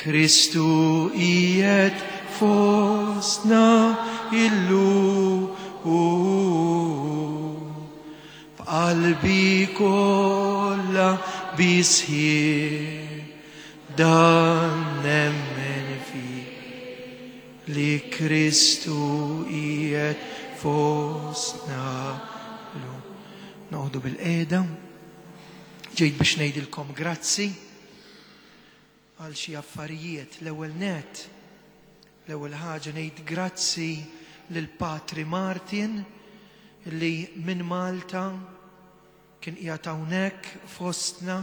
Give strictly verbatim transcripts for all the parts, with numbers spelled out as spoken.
Kristu qiegħed fostna illum, b'qalbi kollha bisħieħ dan nemmen fih, li Kristu qiegħed fostna llum. Noqogħdu bil-qiegħda. Ġejt biex ngħidilkom grazzi għal xi affarijiet. L-ewwel net, l-ewwel ħaġa ngħid grazzi lil Patri Martin li minn Malta kien qiegħed hawnhekk fostna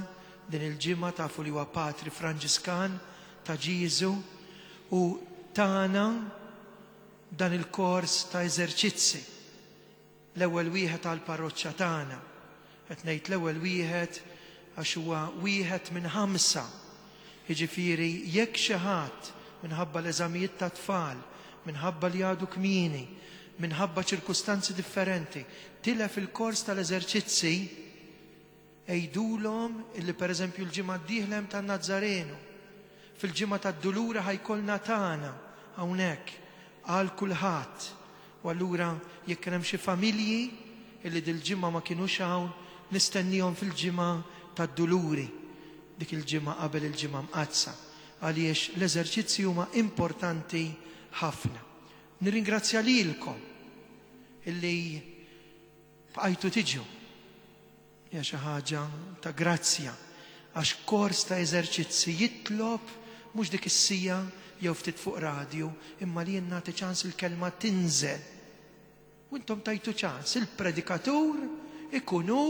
din il-ġimgħa. Tafu li huwa Patri Franġiskan ta' Ġieżu u tana dan il-kors ta' eżerċizzi. L-ewwel wieħed għall-parroċċa tagħna. Qed ngħid l-ewwel wieħed għax huwa wieħed minn ħamsa. Jiġifieri jekk xi ħadd minħabba l-eżamijiet ta' tfal, minħabba li għadu kmieni, minħabba ċirkustanzi differenti, tilef il-kors tal-eżerċizzi, għidulhom illi pereżempju l-ġimgħa d-dieħla hemm tan-Nazzarenu, fil-ġimgħa tad-Dulura ħajkollna tagħna hawnhekk għal kulħadd. U allura jekk kien hemm xi familji illi dil-ġimgħa ma kinux hawn, nistennihom fil-ġimgħa tad-Duluri, dik il-ġimgħa qabel il-ġimgħa mqaddsa, għaliex l-eżerċizzi huma importanti ħafna. Nirringrazzja lilkom illi bqajtu tiġu. Hija xi ħaġa ta' grazzja, għax kors ta' eżerċizzi jitlob mhux dik is-sija jew ftit fuq radju, imma li jien nagħti ċans il-kelma tinżel. U intom tajtu ċans, il-predikatur ikun hu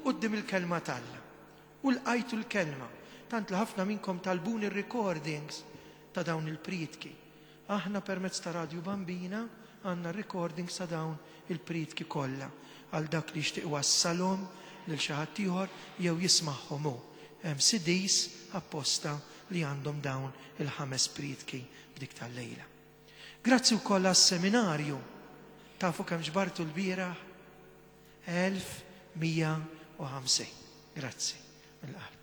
quddiem il-kelma t'Alla. U lqajtu l-kelma. Tant li ħafna minnkom talbuni r-recordings ta' dawn il-prietki. Aħna permezz ta' Radio Bambina għandna recordings ta' dawn il-prietki kollha għal dak li jixtieq wassalhom lil xi ħadd ieħor jew jismagħhom hu. Hemm C Ds apposta li għandhom dawn il-ħames prietki b'dik tal-lejla. Grazzi wkoll għas-seminarju. Tafu kemm ġbartu l-bieraħ? Elf mija u ħamsin. Grazzi mill-qalb.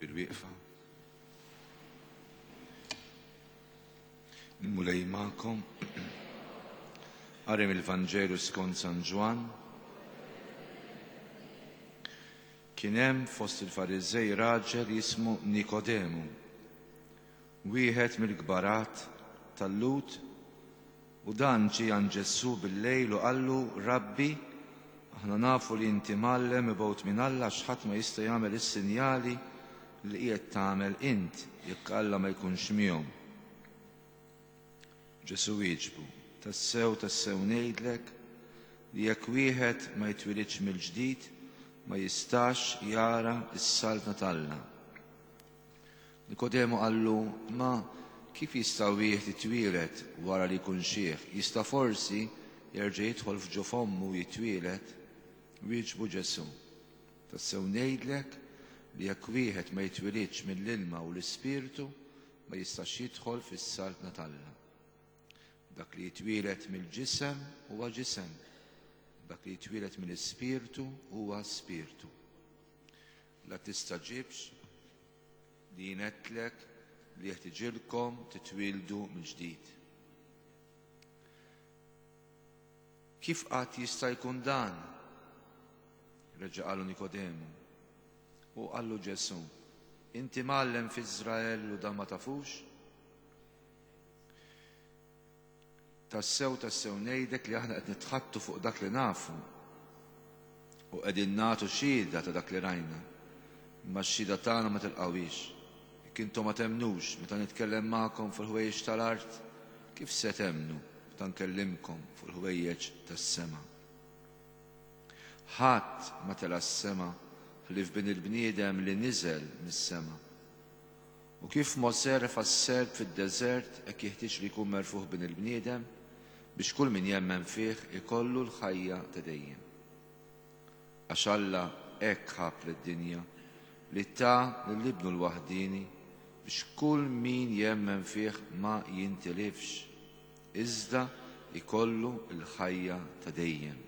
Bil-wieqfa. Il-Mulej magħkom. Qari mill-Vanġelu skont San Ġwann. Kien hemm fost il-Fariżej raġel jismu Nikodemu, wieħed mill-kbarat tal-Lhud, u dan ġie għand Ġesù bil-lejl u qallu: Rabbi, aħna nafu li inti mgħallem mibgħut minn Alla, għax ħadd ma jista' jagħmel is-sinjali li qiegħed tagħmel int jekk Alla ma jkunx miegħu. Ġesù wieġbu: Tassew, tassew ngħidlek li jekk wieħed ma jitwilidx mill-ġdid ma jistax jara s-saltna t'Alla. Nikodemu qallu: Ma kif jista' wieħed jitwieled wara li jkun xiħ? Jista' forsi jerġa' jidħol f'ġo fommu u jitwieled? Wieġbu Ġesù: Tassew ngħidlek li jekk wieħed ma jitwilidx mill-ilma u l-Ispirtu ma jistax jidħol fis-saltna t'Alla. Dak li jitwieled mill-ġisem huwa ġisem, dak li jitwieled mill-Ispirtu huwa spirtu. La tistaġibx li jien għedtlek li jeħtiġilkom titwieldu mill-ġdid. Kif qatt jista' jkun dan? Reġa' qalu Nikodemu. U qallu Ġesù: Inti mgħallem f'Iżrael u dan ma tafux? Tassew, tassew ngħidlek li aħna qed nitħattu fuq dak li nafu u qegħdin nagħtu xhieda ta' dak li rajna, imma x-xhieda tagħna ma tilqawhiex. Jekk intom ma temnux meta nitkellem magħkom fuq il-ħwejjeġ tal-art, kif se temnu meta nkellimkom fuq il-ħwejjeġ tas-sema? Ħadd ma tela' s-sema ħlief bin il-bniedem li niżel mis-sema. U kif Mosè refa' s-serp fid-deżert, hekk jeħtieġ li jkun merfuħ bin il-bniedem biex kull min jemmen fih ikollu l-ħajja ta' dejjem. Għax Alla hekk ħab lid-dinja li ta lil ibnu l-waħdieni biex kull min jemmen fih ma jintilifx, iżda ikollu l-ħajja ta' dejjem.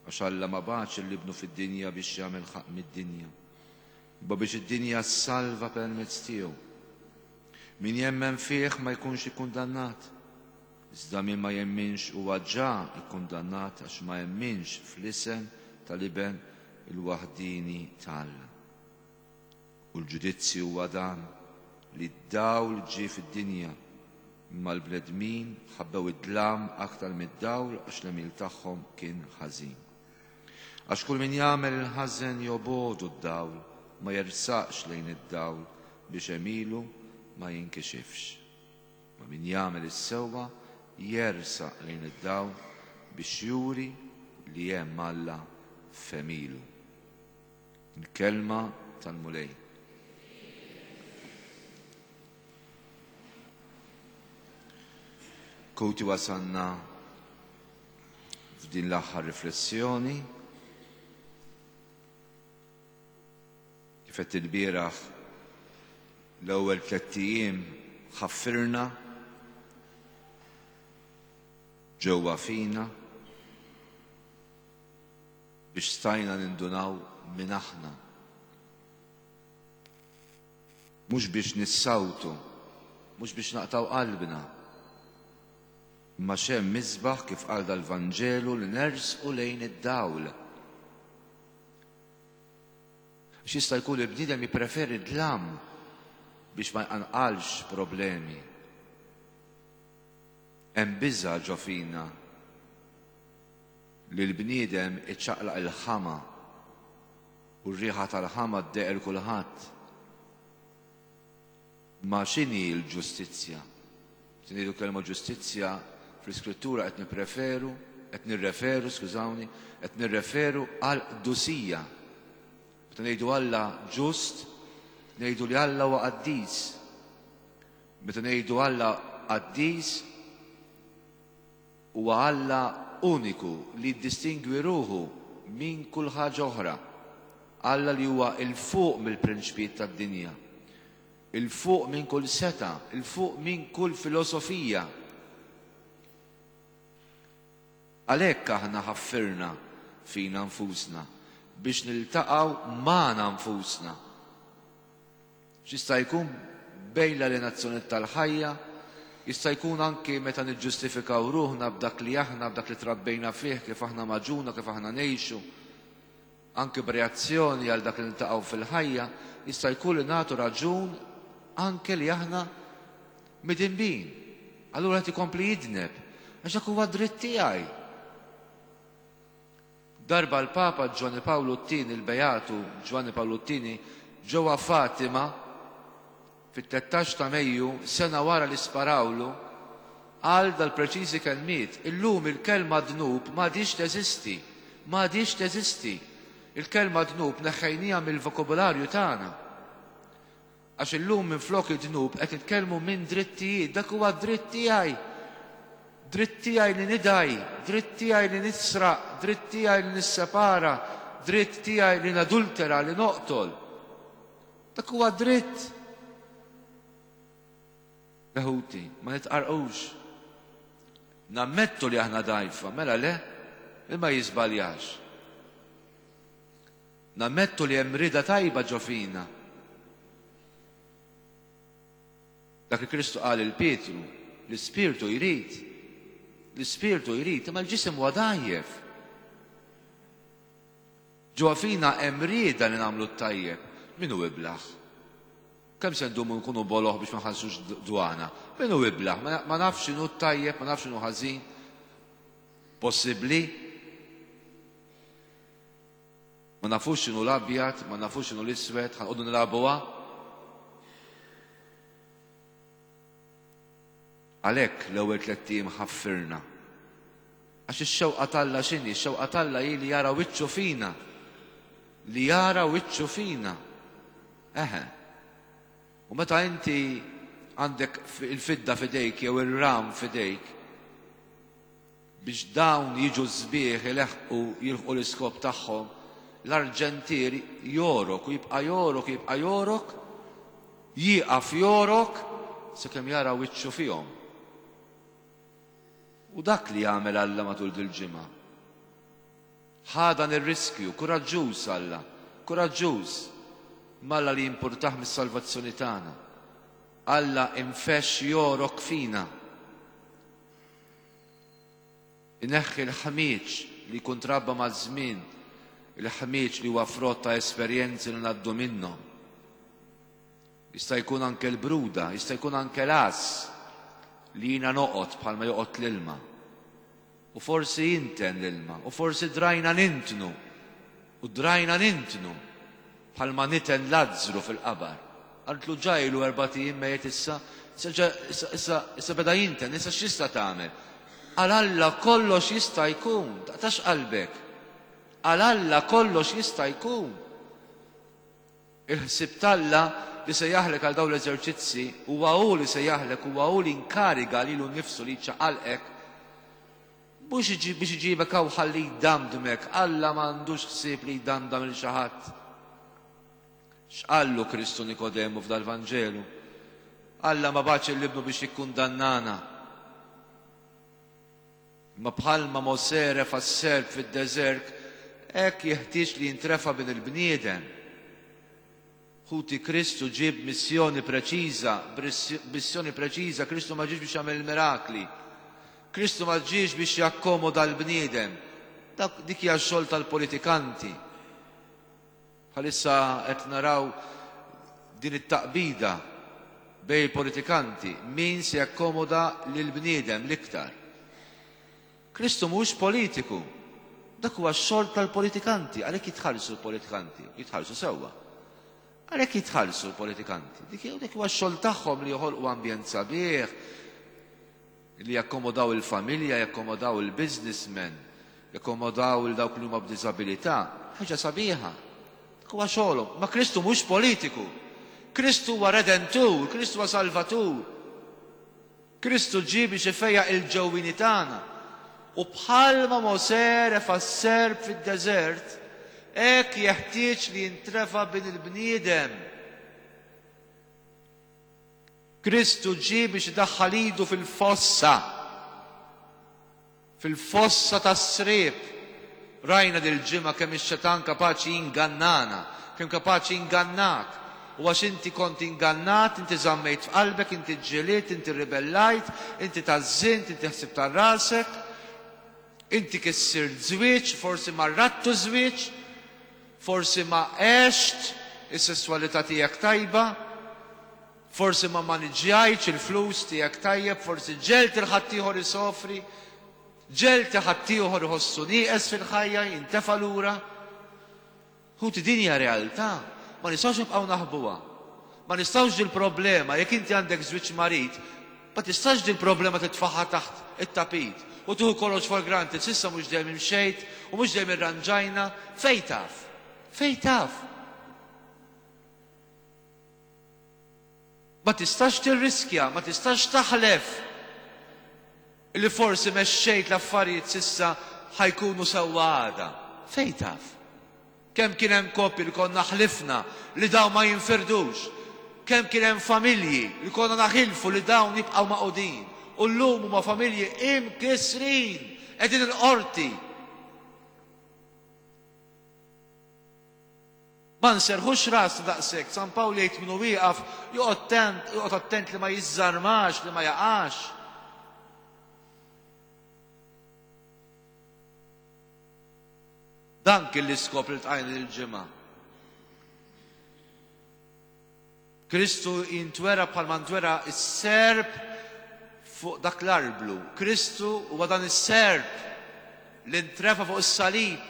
Għax Alla ma bagħatx lil Ibnu fid-dinja biex jagħmel ħaqq mid-dinja, imma biex id-dinja ssalva permezz tiegħu. Min jemmen fih ma jkunx ikkundannat, iżda min ma jemminx huwa ġa ikkundannat għax ma jemminx fl-isem tal-Iben il-waħdini ta' Alla. U l-ġudizzju huwa dan, li d-dawl ġie fid-dinja, imma l-bnedmin ħabbew id-dlam aktar mid-dawl għax l-għemil tagħhom kien ħażin. Għax kull min jagħmel il-ħażen jobogħdu d-dawl, ma jersaqx lejn id-dawl biex għemilu ma jinkixifx. Ma min jagħmel is-sewwa jersaq lejn id-dawl biex juri li hemm Alla f'għemilu. Il-kelma tal-Mulej. Koti wasanna f'din l-aħħar riflessjoni. Kif qed il-bieraħ l-ewwel tliet ijiem ħaffirna ġewwa fina biex stajna nindunaw minn aħna. Mhux biex nissawtu, mhux biex naqtaw qalbna, imma x'hemm misbaħ kif qal dal-Vanġelu li nersqu lejn id-dawl. Għax jista' jkun il-bniedem jippreferi dlam biex ma jqanqalx problemi. Hemm biża' ġo fina li l-bniedem iċċaqlaq il-ħama u r-riħa tal-ħama ddeqel kulħadd. Ma x'inhi l-ġustizzja? Se ngħidu kelma ġustizzja fl-Iskrittura qed nippreferu, qed nirreferu, skużawni, qed nirreferu għal qdusija. Meta ngħidu Alla ġust, ngħidu li Alla huwa qaddis. Meta ngħidu Alla qaddis, huwa Alla uniku li jiddistingwi ruħu minn kull ħaġa oħra. Alla li huwa 'l fuq mill-prinċpijiet tad-dinja, 'il fuq minn kull seta, 'il fuq minn kull filosofija. Għalhekk aħna ħaffirna fina nfusna biex niltaqgħu magħna nfusna. X'jista' jkun bejn l-alienazzjoni tal-ħajja, jista' jkun anki meta niġġustifikaw ruħna b'dak li aħna, b'dak li trabbejna fih, kif aħna maġuna, kif aħna ngħixu, anki b'reazzjoni għal dak li niltaqgħu fil-ħajja, jista' jkun li nagħtu raġun anke li aħna midinbin. Allura qed ikompli jidneb, għax dak huwa dritt tiegħi. Darba l-Papa Ġwanni Pawlu t-tieni, il-Beatu Ġwanni Pawlu t-tieni, ġewwa Fatima fit-tlettax ta' Mejju, sena wara li sparawlu, qal dal-preċiżi kelmiet: illum il-kelma dnub m'għadhiex teżisti, m'għadhiex teżisti. Il-kelma dnub neħħejniha mill-vokabularju tagħna. Għax illum minflok id-dnub qed nitkellmu minn drittijiet, dak huwa dritt tiegħi. Dritt tiegħi li nidgħi, dritt tiegħi li nisraq, dritt tiegħi li nissepara, dritt tiegħi li nadultera, li noqtol. Dak huwa dritt. Leħuti, ma nitqarqux. Nammettu li aħna dgħajfa, mela le, imma jiżbaljax. Nammettu li hemm rida tajba ġo fina. Dak li Kristu qal lil Pietru, l-ispirtu jrid, l-ispirtu jrid, imma l-ġisem huwa dgħajjef. Ġewwa fina hemm rieda li nagħmlu t-tajjeb. Min hu iblaħ? Kemm se ndumu nkunu boloh biex ma nħallsux dwana? Min hu iblaħ? Ma nafx x'inhu t-tajjeb, ma nafx x'inhu ħażin. Possibbli? Ma nafux x'inhu l-abjad, ma nafux x'inhu l-iswed, ħa nqogħdu nilagħbuha? Għalhekk l-ewwel tlett ijiem ħaffirna. Għax ix-xewqa t'Alla x'inhi? Ix-xewqa t'Alla hi li jara wiċċu fina. Li jara wiċċu fina. Eħe. U meta inti għandek il-fidda f'idejk jew ir-ram f'idejk, biex dawn jiġu sbieħ ileħqu jilħqu l-iskop tagħhom, l-arġentier jorok u jibqa' jorok, jibqa' jorok, Jieqaf jorok sakemm jara wiċċu fihom. U dak li jagħmel Alla matul dil-ġimgħa. Ħa dan ir-riskju, kuraġġuż Alla, kuraġġuż. M'Alla li jimpurtah mis-salvazzjoni tagħna. Alla infexx jorok fina. Ineħħi l-ħmieġ li jkun trabba maż-żmien, il-ħmieġ li huwa frott ta' esperjenzi li ngħaddu minnhom. Jista' jkun anke l-bruda, jista' jkun anke l-għażż li jiena noqgħod bħalma joqgħod l-ilma. U forsi jinten l-ilma, u forsi drajna nintnu, u drajna nintnu bħalma niten Lazzru fil-qabar. Qaltlu ġajlu erbat ijiem mejjet issa, issa issa beda jinten, issa x'jista' tagħmel? Għal Alla kollox jista' jkun, taqtax qalbek. Għal Alla kollox jista' jkun. Il-ħsieb t'Alla li se jaħlek għal dawn l-eżerċizzi huwa hu li se jaħlek, huwa hu li inkariga lilu nnifsu li jċaqalqek. Mhux biex iġibek hawn ħalli jdamdmek, Alla m'għandux ħsieb li jdamdam lil xi ħadd. X'qallu Kristu Nikodemu f'dal-Vanġelu? Alla ma bagħatx lil ibnu biex jikkundannana. Imma bħalma Mosè refa' s-serp fid-deżert, hekk jeħtieġ li jintrefa' bin il-bniedem. Ħuti, Kristu ġie b'missjoni preċiża, b'missjoni preċiża, Kristu ma ġiex biex jagħmel mirakli. Kristu ma ġiex biex jakkomoda l-bniedem. Dak dik hija x-xogħol tal-politikanti. Bħalissa qed naraw din it-taqbida bejn il-politikanti, min se jakkomoda lill-bniedem l-iktar. Kristu mhuwiex politiku. Dak huwa x-xogħol tal-politikanti, għalhekk jitħallsu l-politikanti, jitħallsu sewwa. Għalhekk jitħallsu l-politikanti. Dik dik huwa x-xogħol tagħhom li joħolqu ambjent sabiħ, li jakkomodaw il-familja, jakkomodaw il-businessmen, jakkomodaw il dawk li huma b'diżabilità. Ħaġa sabiħa. Dak huwa xogħolhom. Ma Kristu mhux politiku. Kristu huwa redentur, Kristu huwa salvatur. Kristu ġie biex ifejjaq il-ġewwini tagħna. U bħalma Mosè refa' s-serp fid-deżert, hekk jeħtieġ li jintrefa' bin il-bniedem. Kristu ġie biex idaħħal idu fil-fossa, fil-fossa tas-sriep. Rajna dil-ġimgħa kemm ix-xetan kapaċi jingannana, kemm kapaċi jingannak. U għax inti kont ingannat, inti żammejt f'qalbek, inti ġġiliet, inti ribellajt, inti tażżint, inti ħsibt għal rasek, inti kissirt żwieġ, forsi ma rrattu żwieġ, forsi ma għext is-sesswalità tiegħek tajba, forsi ma maniġġjajtx il-flus tiegħek tajjeb, forsi ġelt il-ħaddieħor isofri, ġelt ħaddieħor iħossu nieqes fil-ħajja, jintefa' lura. Ħuti, din hija realtà, ma nistgħux nibqgħu naħbuha. Ma nistgħux dil-problema, jekk inti għandek żwieġ marid, ma tistax dil-problema titfaħħa taħt it-tapit u tieħu kollox for granted, s'issa mhux dejjem imxejt u mhux dejjem irranġajna, fejn taf? Fejn taf? Ma tistax tirriskja, ma tistax taħlef li forsi mexxejt l-affarijiet s'issa ħajkunu sewwa għada. Fejn taf? Kemm kien hemm koppji li konna ħlifna li dawn ma jinfirdux. Kemm kien hemm familji li konna naħilfu li dawn jibqgħu magħqudin. U llum huma familji imkissrin, qegħdin il-qorti. Ma nserħux rasna daqshekk. San Pawl jgħid min hu wieqaf joqgħod joqgħod attent li ma jiżżarmax, li ma jaqax. Dan kien l-iskop li ltqajna dil-ġimgħa. Kristu jintwera bħalma ntwera s-serp fuq dak l-arblu. Kristu huwa dan is-serp li ntrefa fuq is-salib,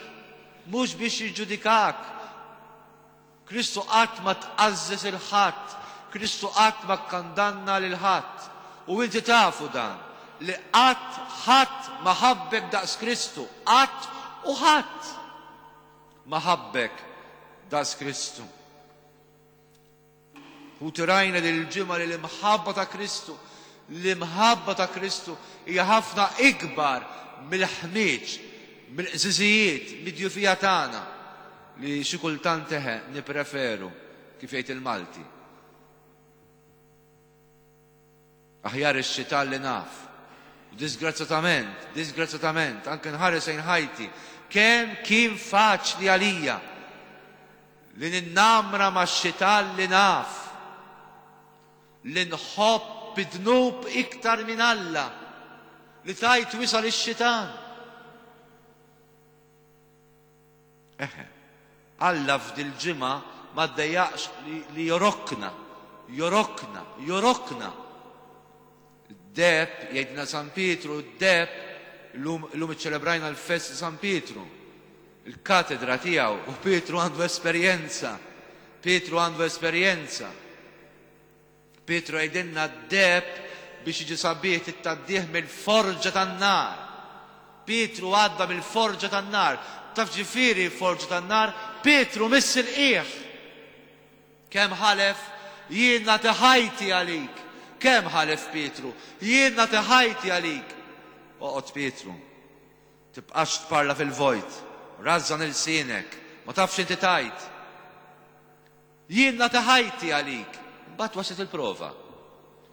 mhux biex jiġġudikak. Kristu qatt ma tqażżeż il ħadd, Kristu qatt ma kkandanna lil ħadd. U inti tafu dan, li qatt ħadd ma ħabbek daqs Kristu, qatt u ħadd ma ħabbek daqs Kristu. U tirajna li l-ġimgħa li l-imħabba ta' Kristu, l-imħabba ta' Kristu hija ħafna ikbar mill-ħmieġ, mill-qżiżijiet, mid-djufija tagħna li xi kultant eħe nippreferu, kif jgħid il-Malti, Aħjar ix-xitan li naf. Disgrazzatament, disgrazzatament, anke nħares lejn ħajti, kemm kien faċli għalija li ninnamra max-xitan li naf, li nħobb id-dnub iktar minn Alla, li tajt wisal ix-xitan. Eħe, Alla f'dil-ġimgħa ma ddejjaqx li, li jorokna, jorokna, jorokna. Id-deheb, jgħidna San Pietru, id-deheb, illum iċċelebrajna l-festa San Pietru, il-katedra tiegħu, u Pietru għandu esperjenza, Pietru għandu esperjenza. Pietru jgħidilna d-deheb biex jiġi sabiħ tittgħaddih mill-forġa tan-nar. Pietru għadda mill-forġa tan-nar. Taf ġifieri forġa tan-nar? Pietru miss il-qiegħ. Kemm ħalef? Jien nagħti ħajti għalik. Kemm ħalef Pietru? Jien nagħti ħajti għalik. Oqgħod Pietru. Tibqax tparla fil-vojt. Rażżan ilsienek. Ma tafx inti tajt. Jien nagħti ħajti għalik. Mbagħad waslet il-prova.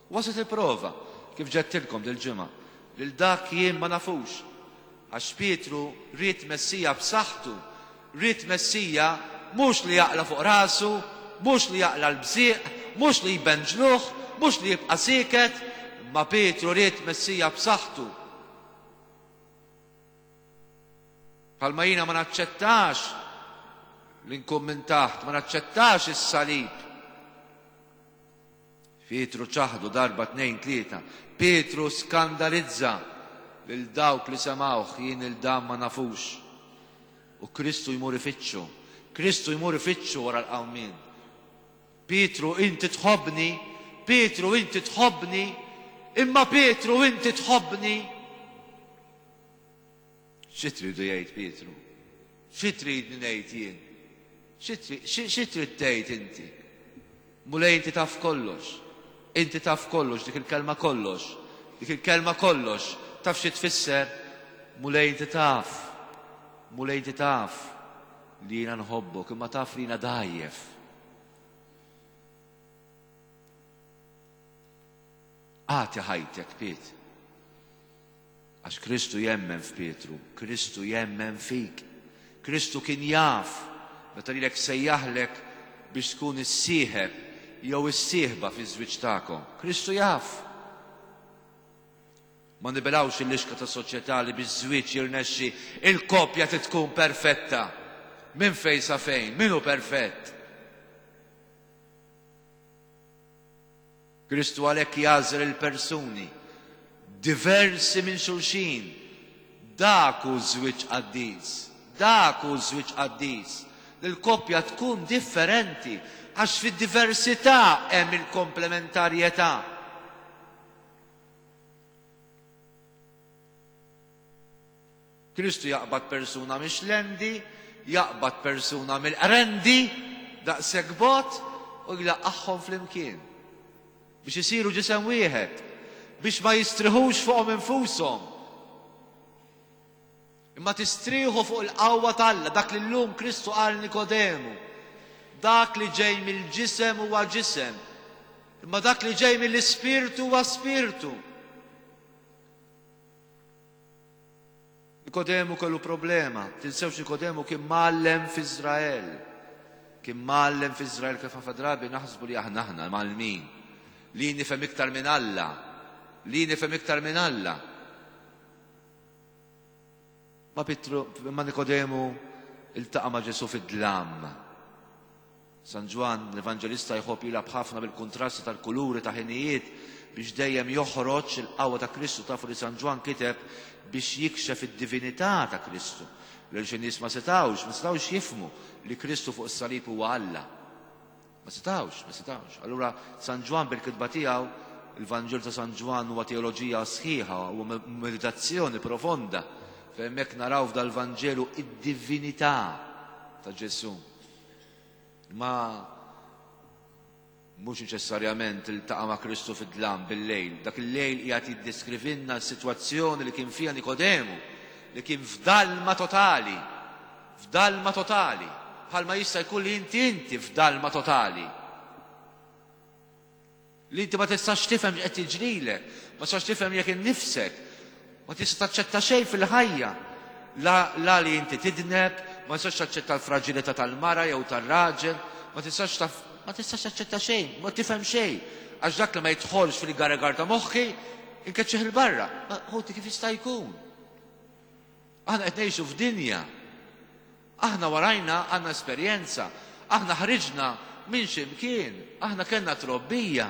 Waslet il-prova. Kif ġedtilkom dil-ġimgħa. Lil dak jien ma nafux. Għax Pietru ried Messija b'saħħtu. Ried Messija mhux li jaqla' fuq rasu, mhux li jaqla' l-bżieq, mhux li jbenġluh, mhux li jibqa' sieket, imma Pietru ried Messija b'saħħtu. Bħalma jiena ma naċċettax li nkun minn taħt, ma naċċettax is-salib. Pietru ċaħdu darba, tnejn, tlieta. Pietru skandalizza lil dawk li semgħuh, jien il dan ma nafux. U Kristu jmur ifittxu. Kristu jmur ifittxu wara l-qawmien. Pietru, inti tħobbni. Pietru, inti tħobbni. Imma Pietru, inti tħobbni. Xi tridu jgħid Pietru? Xi tridni ngħid jien? Xi trid tgħid inti? Mulej, inti taf kollox. Inti taf kollox, dik il-kelma kollox. Dik il-kelma kollox. Taf xi tfisser? Mulej, inti taf. Mulej, inti taf li jiena nħobbok, imma taf li jiena dgħajjef. Agħti ħajtek, Piet. Għax Kristu jemmen f'Pietru, Kristu jemmen fik. Kristu kien jaf meta lilek sejjaħlek biex tkun is-sieħeb jew is-sieħba fiż-żwieġ tagħkom. Kristu jaf. Ma nibilgħux il-lixka ta' soċjetà li biex żwieġ jirnexxi il-koppja trid tkun perfetta. Minn fejn sa fejn? Min hu perfett? Kristu għalhekk jagħżel il-persuni diversi minn xulxin. Dak hu żwieġ qaddis. Dak hu żwieġ qaddis. Li l-koppja tkun differenti għax fid-diversità hemm il-komplementarjetà. Kristu jaqbad persuna mix-xlendi, jaqbad persuna mill-qrendi, daqshekk bogħod, u jlaqqagħhom flimkien biex isiru ġisem wieħed, biex ma jistriħux fuqhom infushom, imma tistrieħu fuq il-qawwa t'Alla, dak li llum Kristu qal Nikodemu. Dak li ġej mill-ġisem huwa ġisem, imma dak li ġej mill-ispirtu huwa spirtu. Nikodemu kellu problema. Tinsewx Nikodemu kien mgħallem f'Iżrael. Kien mgħallem f'Iżrael kif ħafna drabi naħsbu li aħna aħna mgħallmin. Li nifhem iktar minn Alla. Li nifhem iktar minn Alla. Ma Pietru, ma Nikodemu iltaqa' ma' Ġesù fid-dlam. San Ġwann, l-Evanġelista, jħobb jilgħab ħafna bil-kuntrasti tal-kuluri ta' ħinijiet biex dejjem joħroġ il-qawwa ta' Kristu. Tafu li San Ġwann kiteb biex jikxef id-divinità ta' Kristu. Lil xi nies ma setgħux, ma setgħux jifhmu li Kristu fuq is-salib huwa Alla. Ma setgħux, ma setgħux. Allura San Ġwann bil-kitba tiegħu, il-Vanġelu ta' San Ġwann huwa teoloġija sħiħa, huwa meditazzjoni profonda. Fejn hemmhekk naraw f'dal-Vanġelu id-divinità ta' Ġesù. Ma mhux neċessarjament iltaqa' ma' Kristu fid-dlam bil-lejl. Dak il-lejl qiegħed jiddeskrivilna s-sitwazzjoni li kien fiha Nikodemu, li kien f'dalma totali, f'dalma totali, bħalma jista' jkun li inti inti f'dalma totali. Li inti ma tistax tifhem x'qed jiġrilek, ma tistax tifhem jekk innifsek, ma tista' taċċetta xejn fil-ħajja. La, la li inti tidneb, ma tistax taċċetta l-fraġilità tal-mara jew tar-raġel, ma tistax taf, ma tistax taċċetta xejn, ma tifhem xejn. Għax dak li ma jidħolx fil-garagar ta' moħħi, inkeċċih il-barra. Ma ħuti kif jista' jkun? Aħna qed ngħixu f'dinja. Aħna warajna għandna esperjenza, aħna ħriġna minn xi mkien, aħna kellna trobbija.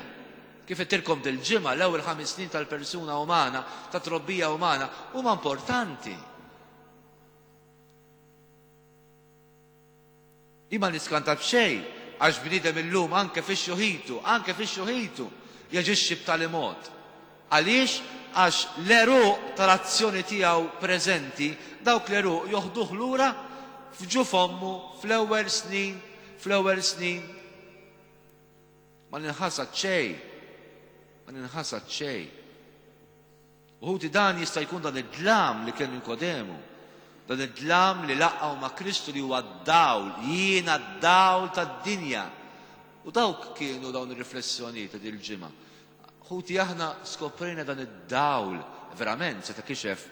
Kif għedtilkom dil-ġimgħa, l-ewwel ħames snin tal-persuna umana, ta' trobbija umana, huma importanti. Imma niskanta b'xejn, għax bniedem illum anke fix-xuħitu, anke fix-xuħitu, jaġixxi b'tali mod. Għaliex? Għax l-għeruq tal-azzjoni tiegħu preżenti, dawk l-għeruq joħduh lura f'ġuf ommu fl-ewwel snin, fl-ewwel snin. Ma ninħasad xejn, ma ninħasad xejn. U ħuti dan jista' jkun dan id-dlam li kien Nikodemu, dan id-dlam li laqgħu ma' Kristu li huwa d-dawl, jiena d-dawl tad-dinja. U dawk kienu dawn ir-riflessjonijiet ta' dil-ġimgħa. Ħuti aħna skoprejna dan id-dawl, verament se ta' kixef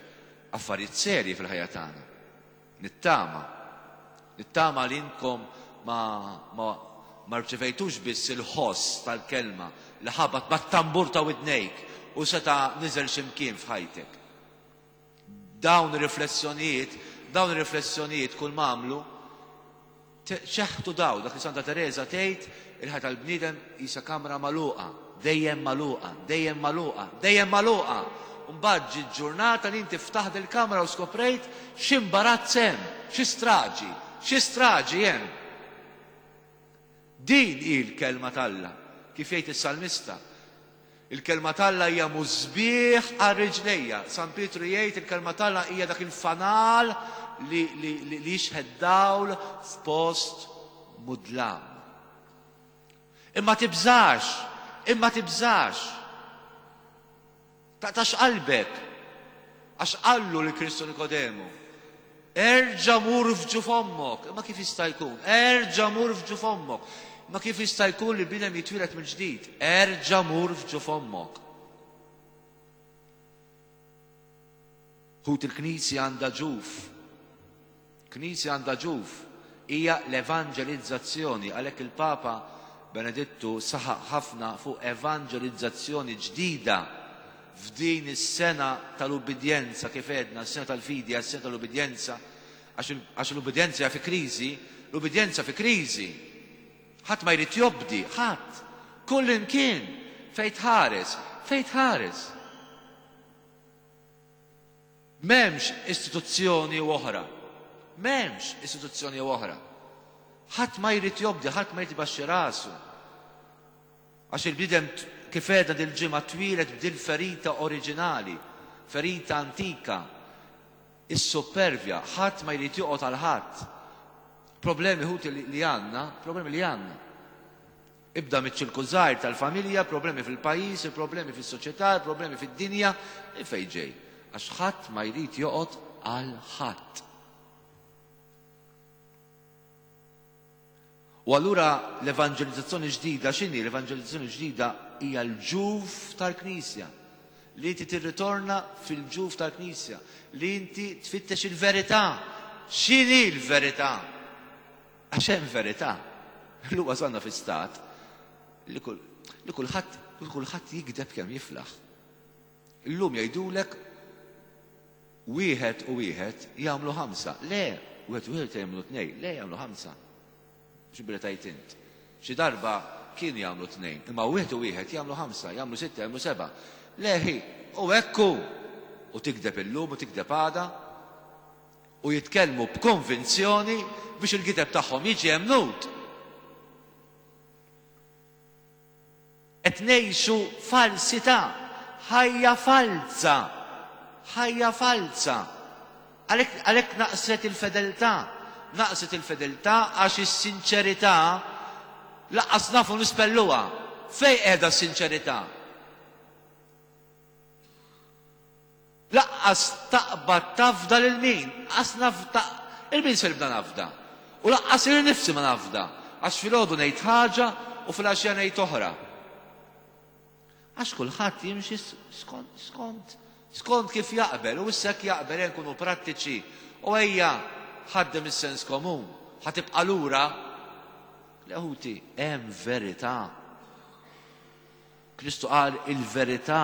affarijiet serji fil-ħajja tagħna. Nittama. Nittama li inkom ma, ma, ma rċevejtux biss il-ħoss tal-kelma li ħabat mat-tambur ta' widnejk u seta' niżel x'imkien f'ħajtek. Dawn ir-riflessjonijiet, dawn ir-riflessjonijiet kull ma għamlu, ċeħtu daw, dak li Santa Teresa tgħid, il-ħajja tal-bniedem qisha kamra magħluqa, dejjem magħluqa, dejjem magħluqa, dejjem magħluqa. Mbagħad ġiet ġurnata li inti ftaħt il-kamra u skoprejt x'imbarazz hemm, xi straġi, xi straġi hemm. Din hi l-kelma t'Alla, kif jgħid is-salmista. Il-kelma t'Alla hija musbieħ għal riġlejja. San Pietru jgħid il-kelma t'Alla hija dak il-fanal li, li, li, li jixħed dawl f'post mudlam. Imma tibżax, imma tibżax. Taqtax qalbek, għax qallu lil Kristu Nikodemu, erġa' mur f'ġuf ommok. Imma kif jista' jkun? Erġa' mur f'ġuf ommok. Imma kif jista' jkun li bniedem jitwieled mill-ġdid? Erġa' mur f'ġuf ommok. Ħut il-Knisja għandha ġuf. Knisja għandha ġuf. Hija l-evanġelizzazzjoni. Għalhekk il-Papa Benedittu saħaq ħafna fuq evanġelizzazzjoni ġdida f'din is-sena tal-ubbidjenza, kif għedna, s-sena tal-fidi, s-sena tal-ubbidjenza, għax l-ubbidjenza hija fi kriżi, l-ubbidjenza fi kriżi. Ħadd ma jrid jobdi, ħadd. Kull imkien, fejn tħares, fejn tħares. M'hemmx istituzzjoni oħra. M'hemmx istituzzjoni oħra. Ħadd ma jrid jobdi, ħadd ma jrid ibaxxi rasu. Għax il-bniedem kif għedna dil-ġimgħa twieled b'dil ferita oriġinali, ferita antika, is-supervja, ħadd ma jrid joqgħod għal ħadd. Problemi ħuti li għandna, problemi li għandna. Ibda miċ-ċirku żgħir tal-familja, problemi fil-pajjiż, problemi fis-soċjetà, problemi fid-dinja, fejn ġej. Għax ħadd ma jrid joqgħod għal ħadd. U allura l-evanġelizzazzjoni ġdida x'inhi? L-evanġelizzazzjoni ġdida hija l-ġuf tal-Knisja. Li inti tirritorna fil-ġuf tal-Knisja, li inti tfittex il-verità. X'inhi l-verità? Għax hemm verità. Illum wasalna fi stat li kulħadd li kulħadd jikdeb kemm jiflaħ. Illum jgħidulek wieħed u wieħed jagħmlu ħamsa. Le, wieħed u wieħed jagħmlu tnejn, le jagħmlu ħamsa. X'billi tajt int. Xi darba kienu jagħmlu tnejn, imma wieħed u wieħed jagħmlu ħamsa, jagħmlu sitta, jagħmlu seba'. Leħi, u hekk hu. U tikdeb illum u tikdeb għada u jitkellmu b'konvinzjoni biex il-gideb tagħhom jiġi emnut. Qed ngħixu falsità, ħajja falza, ħajja falza. Għalhekk naqset il-fedeltà, naqset il-fedeltà għax is-sinċerità lanqas nafu nispelluha. Fejn qiegħda s-sinċerità? Lanqas taqbad tafda lil min, lanqas nafda, lil min se nibda nafda? U lanqas lili nnifsi ma nafda, għax filgħodu ngħid ħaġa u filgħaxija ngħid oħra. Għax kulħadd jimxi skont, skont, skont kif jaqbel, u issa jekk jaqbel nkunu prattiċi. U ejja ħaddem is-sens komun, ħa tibqa' lura. Le ħuti, hemm verità. Kristu qal il-verità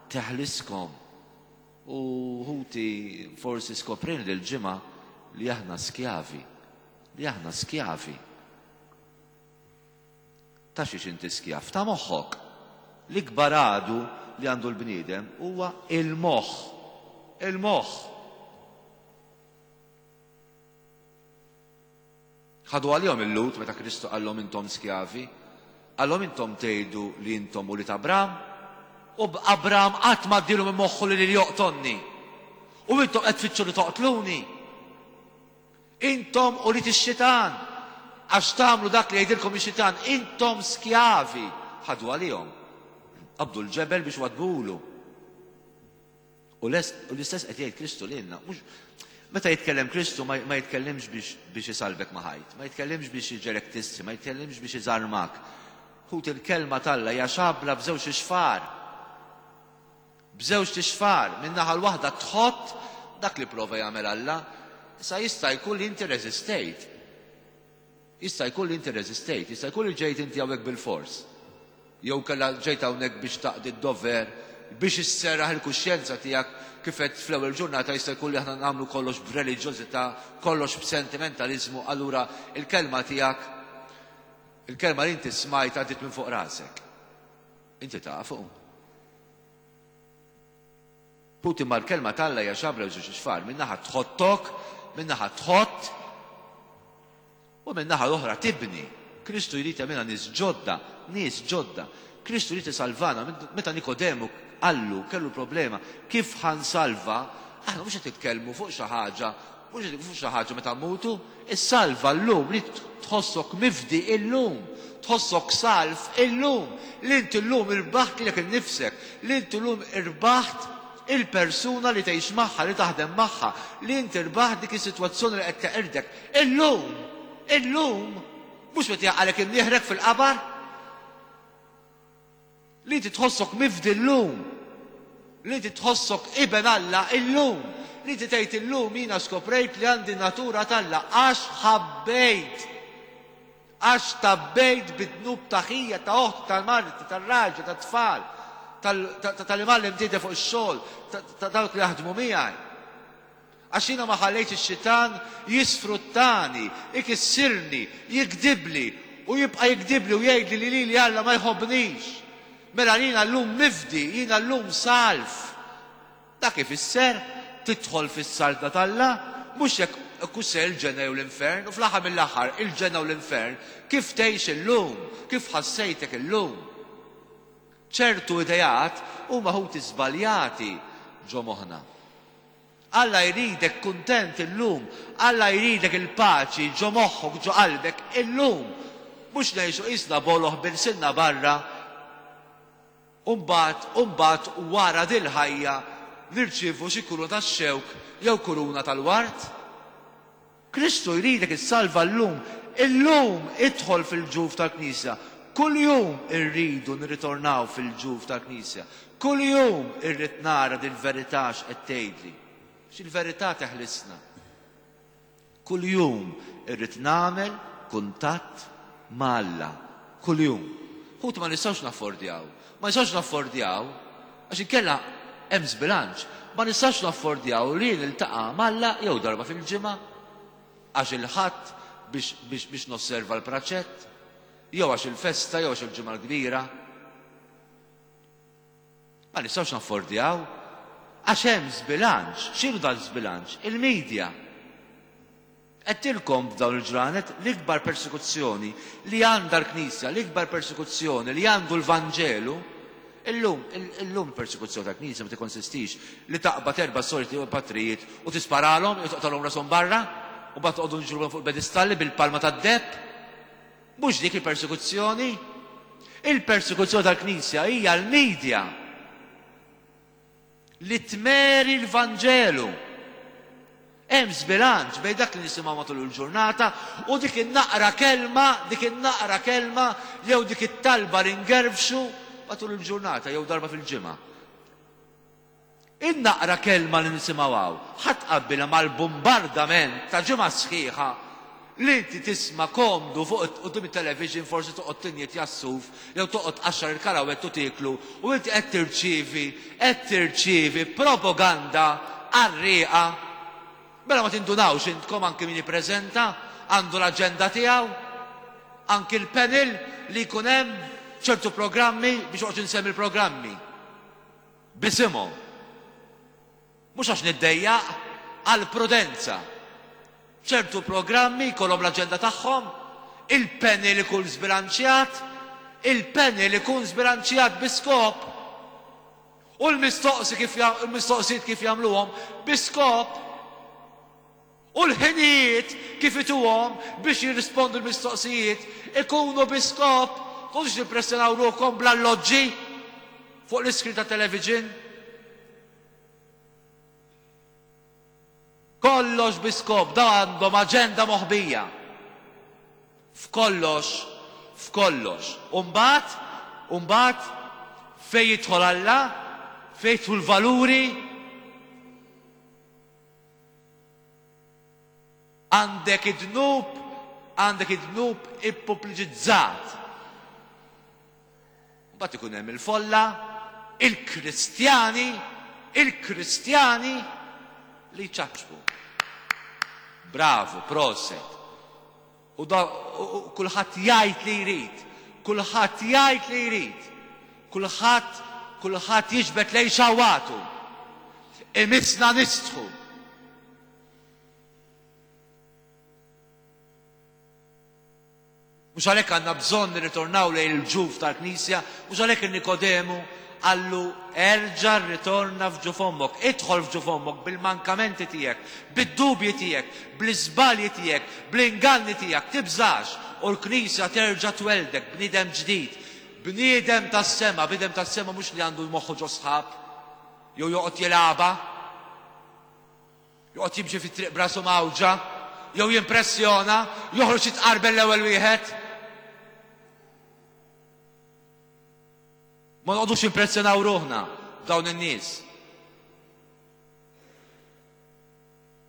teħliskom. U ħuti forsi skoprin l-ġimgħa li aħna skjavi, li aħna skjavi. Ta' xiex inti skjav? Ta' moħħok. L-ikbar għadu li għandu l-bniedem huwa il-moħħ. Il-moħħ. Ħadu għalihom il-Lut meta Kristu qallhom intom skjavi, qallhom intom tgħidu li intom ulied Abram, u Abram qatt ma għaddielu minn moħħu li lili joqtolni. U intom qed tfittxu li toqtluni. Intom ulied ix-xitan, għax tagħmlu dak li jgħidilkom ix-xitan, intom skjavi. Ħadu għalihom. Qabdu l-ġebel biex wadbulu. U l-istess qed jgħid Kristu lilna. Meta jitkellem Kristu ma jitkellimx biex isalbek ma' ħajt, ma jitkellimx biex iġelek tissi, ma jitkellimx biex iżarmak. Ħut il-kelma t'Alla hija xabla b'żewġ ixfar. B'żewġ ixfar, minn naħa l-waħda tħott dak li prova jagħmel Alla, issa jista' jkun li inti reżistejt. Jista' jkun li inti reżistejt, jista' jkun li ġejt inti hawnhekk bil-fors. Jew kellha ġejt hawnhekk biex taqdi d-dover, biex isserraħ il-kuxjenza tiegħek kif qed fl-ewwel ġurnata jista' jkun li aħna nagħmlu kollox b'reliġjożità, kollox b'sentimentaliżmu, allura il-kelma tiegħek, il-kelma li inti smajt għaddiet minn fuq rasek. Inti tafu. Puti ma l-kelma t'Alla hija xabra żewġ ixfar, minn naħa tħottok, minn naħa tħott, u minn naħa l-oħra tibni. Kristu jrid jagħmilna nies ġodda, nies ġodda. Kristu jrid isalvana. Meta Nikodemu qallu, kellu problema, kif ħansalva? Aħna mhux qed nitkellmu fuq xi ħaġa, mhux qed fuq xi ħaġa meta mmutu, issalva llum li tħossok mifdi illum, tħossok salv illum, li inti llum irbaħt lilek innifsek, li inti llum irbaħt il-persuna li tgħix magħha, li taħdem magħha, li inti rbaħt dik is-sitwazzjoni li qed teqirdek. Illum, illum, mhux meta jaqalek imnieħrek fil-qabar. Li inti tħossok mifdi llum, li inti tħossok iben Alla illum, li inti tgħid illum jiena skoprejt li għandi natura t'Alla għax ħabbejt, għax tabbejt bid-dnub ta' ħija, ta' oħti, tal-marti, tar-raġel, tat-tfal, tal-imgħallem tiegħi fuq ix-xogħol, ta' dawk li jaħdmu miegħi. Għax jiena ma ħallejtx ix-xitan jisfruttani, ikissirni, jikdibli u jibqa' jikdibli u jgħidli li lili Alla ma jħobbnix. Mela jiena llum mifdi, jiena llum salv. Dak ifisser tidħol fis-saltna t'Alla, mhux jekk kusser il-ġenna jew l-infern, u fl-aħħar mill-aħħar il-ġenna u l-infern kif tgħix illum, kif ħassejtek illum. Ċertu ideat huma ħuti żbaljati ġo moħħna. Alla jridek kuntent illum, Alla jridek il-paċi ġo moħħok, ġo qalbek illum. Mhux ngħixu qisna boloħ bil-sinna barra, u mbagħad, u mbagħad wara dil-ħajja nirċievu xi kuruna tax-xewk jew kuruna tal-ward. Kristu jridek issalva llum, illum idħol fil-ġuf tal-Knisja. Kuljum irridu nirritornaw fil-ġuf tal-Knisja. Kuljum irrid nara dil-verità x'qed tgħidli. X'il-verità teħlisna. Kuljum irrid nagħmel kuntatt ma' Alla. Kuljum. Ħut ma nistgħux naffordjaw. Ma nistgħux naffordjaw għax inkella hemm żbilanċ. Ma nistgħux naffordjaw li niltaqa' m'Alla jew darba fil-ġimgħa għax il-Ħadd biex, biex, biex nosserva l-praċett, jew għax il-festa, jew għax il-ġimgħa l-kbira. Ma nistgħux naffordjaw għax hemm żbilanċ. X'inhu dan żbilanċ? Il-medja. Għedtilkom f'dawn il-ġranet l-ikbar persekuzzjoni li għandha l-Knisja, l-ikbar persekuzzjoni li għandu l-Vanġelu. Illum, illum persekuzzjoni tal-Knisja ma tikkonsistix li taqbad erba' soliti u patrijiet u tisparalhom jew toqtalhom rashom barra u mbagħad toqgħodu nġruhom fuq il-pedestalli bil-palma tad-deheb. Mhux dik il-persekuzzjoni. Il-persekuzzjoni tal-Knisja hija l-medja li tmeri l-Vanġelu. Hemm żbilanċ bejn dak li nisimgħu matul il-ġurnata u dik in-naqra kelma, dik in-naqra kelma jew dik it-talba li ngerfxu, matul il-ġurnata jew darba fil-ġimgħa. In-naqra kelma li nisimgħu hawn, ħadd qabbilha mal-bombardament ta' ġimgħa sħiħa li inti tisma' komdu fuq quddiem it-television, forsi toqgħod tinjet jassuf jew toqgħod tqaxxar il-karawett u tieklu u inti qed tirċievi, qed tirċievi propaganda qarrieqa. Mela ma tindunawx intkom anki min jippreżenta għandu l-aġenda tiegħu, anki l-panel li jkun hemm ċertu programmi biex oqgħod insemmi l-programmi. Bisimhom. Mhux għax niddejjaq, għal prudenza. Ċertu programmi jkollhom l-aġenda tagħhom, il-panel ikun żbilanċjat, il-panel ikun żbilanċjat bi skop. U l-mistoqsi kif il-mistoqsijiet kif jagħmluhom bi skop. U l-ħinijiet kif ituhom biex jirrispondu l-mistoqsijiet ikunu bi skop. Kunx nippressjonaw ruħkom bl-alloġġi fuq l-iskrin ta' television. Kollox bi skop, da għandhom aġenda moħbija. F'kollox, f'kollox. Umbagħad, umbagħad fejn jidħol Alla, fejn jidħlu l-valuri, għandek id-dnub, għandek id-dnub ippubbliċizzat. Mbagħad ikun hemm il-folla, il-Kristjani, il-Kristjani li ċaċbu. Bravo, proset. U da kulħadd jgħid li jrid, kulħadd jgħid li jrid, kulħadd kulħadd jiġbed lejn xawatu. Imissna nistħu. Mhux għalhekk għandna bżonn nirritornaw lejn il-ġuf tal-Knisja, mhux għalhekk il-Nikodemu qallu erġa' rritorna f'ġuf ommok, idħol f'ġuf ommok bil-mankamenti tiegħek, bid-dubji tiegħek, bl-iżbalji tiegħek, bl-inganni tiegħek, tibżax u l-Knisja terġa' tweldek bniedem ġdid, bniedem tas-sema, bniedem tas-sema mhux li għandu moħħu ġo sħab, jew joqgħod jilgħabha, joqgħod jimxi fit-triq brasu mawġa, jew jimpressjona, joħroġ jitqarbel l-ewwel wieħed. Ma noqogħdux impressjonaw ruħna b'dawn in-nies.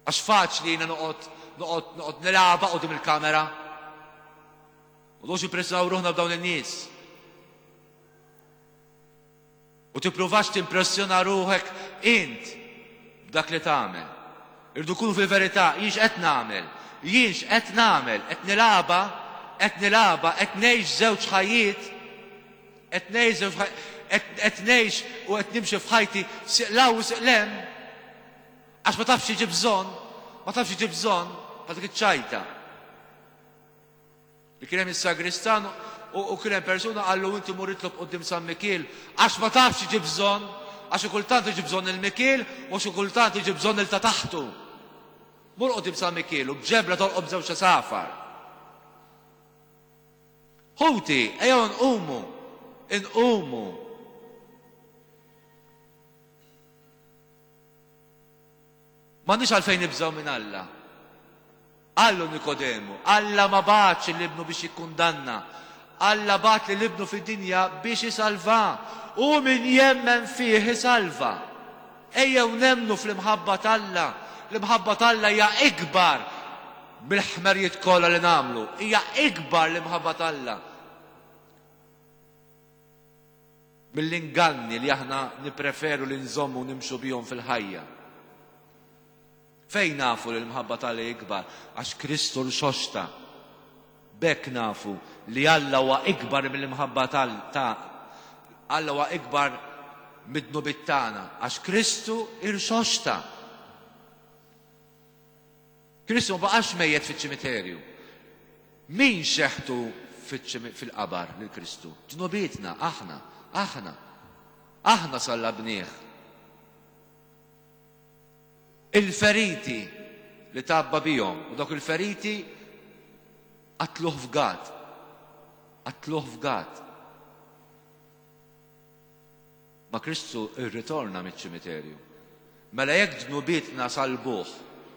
Għax faċli jiena noqgħod noqgħod noqgħod nilgħabha quddiem il-kamera. Noqogħdux impressjonaw ruħna b'dawn in-nies. U tippruvax timpressjona ruħek int b'dak li tagħmel. Irdu kunu fil-verità, jien x'qed nagħmel? Jien x'qed nagħmel? Qed nilgħabha, qed nilgħabha, qed ngħix żewġ ħajjiet, qed ngħix żewġ qed ngħix u qed nimxi f'ħajti siq 'l hawn u siq 'l hemm. Għax ma tafx jiġi bżonn, ma tafx jiġi bżonn, ma dik iċ-ċajta. Li kien hemm is-sagristan u kien hemm persuna qallu inti mur itlob quddiem San Mikiel għax ma tafx jiġi bżonn, għax xi kultant jiġi bżonn il-Mikiel u xi kultant jiġi bżonn il ta' taħtu. Mur quddiem San Mikiel u b'ġebla tolqob żewġ għasafar. Ħuti, ejjew nqumu, inqumu. M'għandniex għalfejn nibżgħu minn Alla. Qallu Nikodemu, Alla ma bagħatx lil ibnu biex jikkundanna. Alla bagħat lil ibnu fid-dinja biex isalva. U min jemmen fih isalva. Ejjew nemmnu fl-imħabba t'Alla. L-imħabba t'Alla hija ikbar mill-ħmerijiet kollha li nagħmlu. Hija ikbar l-imħabba t'Alla mill-inganni li aħna nippreferu li nżommu u nimxu bihom fil-ħajja. Fejn nafu li l-imħabba t'Alla hi ikbar? Għax Kristu rxoxta. B'hekk nafu li Alla huwa ikbar mill-imħabba ta' Alla huwa ikbar mid-dnubiet tagħna għax Kristu rxoxta. Kristu ma baqax mejjet fiċ-ċimiterju. Min xeħtu fil-qabar lil Kristu? Dnubietna, aħna, aħna. Aħna sallabnieh. Il-feriti li tgħabba bihom, u dawk il-feriti qatluh f'Gat. Qatluh f'Gat. Ma Kristu rritorna miċ-ċimiterju. Mela jekk dnubietna salbuh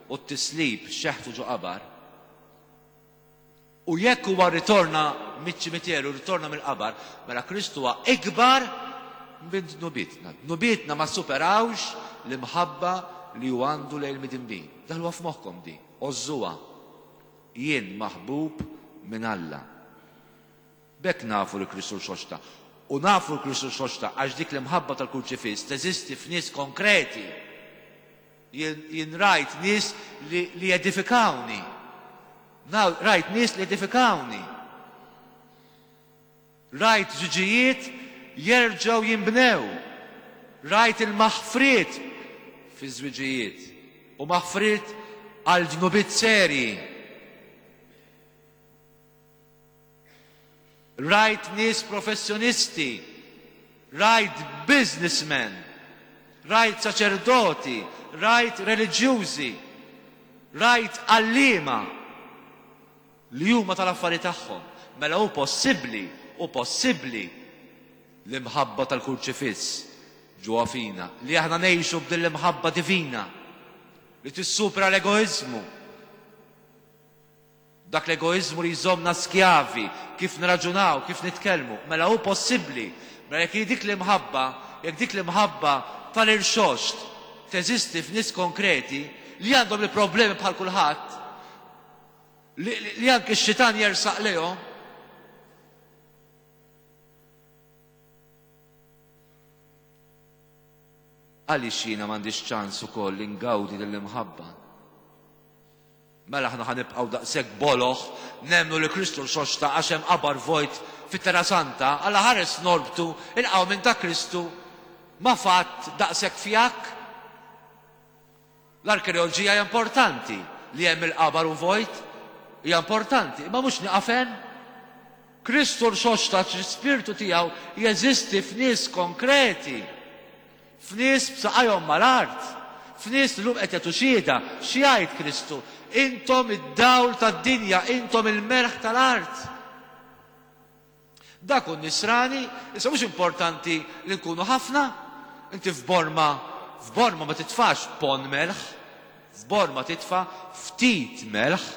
u t-tislib xeħtu ġo qabar, U jekk huwa ritorna miċ-ċimiterju, ritorna mill-qabar, mela Kristu huwa ikbar minn dnubietna. Dnubietna ma superawx l-imħabba li hu għandu lejn il-midinbin. Daħluha f'moħħkom di, għożżuha. Jien maħbub minn Alla. B'hekk nafu li Kristu rxoxta. U nafu li Kristu rxoxta għax dik l-imħabba tal-kurċifiss teżisti f'nies konkreti. Jien, jien rajt nies li, li jedifikawni. Rajt nies li jedifikawni. Rajt żwiġijiet jerġgħu jinbnew. Rajt il-maħfriet fi żwiġijiet u maħfriet għal dnubiet serji. Rajt nies professjonisti, rajt businessmen, rajt saċerdoti, rajt reliġjużi, rajt għalliema li huma tal-affari tagħhom. Mela hu possibbli, hu possibbli l-imħabba tal-kurċifiss ġewwa fina, li aħna ngħixu b'din l-imħabba divina li tissupra l-egoiżmu. Dak l-egoiżmu li jżommna skjavi, kif nraġunaw, kif nitkellmu. Mela hu possibbli, mela jekk dik l-imħabba, jekk dik l-imħabba tal-irxoxt teżisti f'nies konkreti li għandhom il-problemi bħal kulħadd, li, li anke x-xitan jersaq lejhom, għaliex jiena m'għandix ċans ukoll li ngawdi lill-imħabba? Mela aħna ħanibqgħu daqshekk boloħ nemmnu li Kristu rxoxta għax hemm qabar vojt fit-Terra Santa, Alla ħares norbtu il-qawmien minn ta' Kristu ma fatt daqshekk fjakk. L-arkeoloġija hija importanti, li hemm il-qabar u vojt hija importanti, imma mhux nieqaf hemm. Kristu rxoxta għax l-ispirtu tiegħu jeżisti f'nies konkreti, f'nies b'saqajhom mal-art, f'nies li llum qed jagħtu xhieda. X'jgħid Kristu? Intom id-dawl tad-dinja, intom il-melħ tal-art. Dak hu nisrani, issa mhux importanti li nkunu ħafna. Inti f'Borma, f'Borma ma titfax pon melħ, f'Borma titfa' ftit melħ.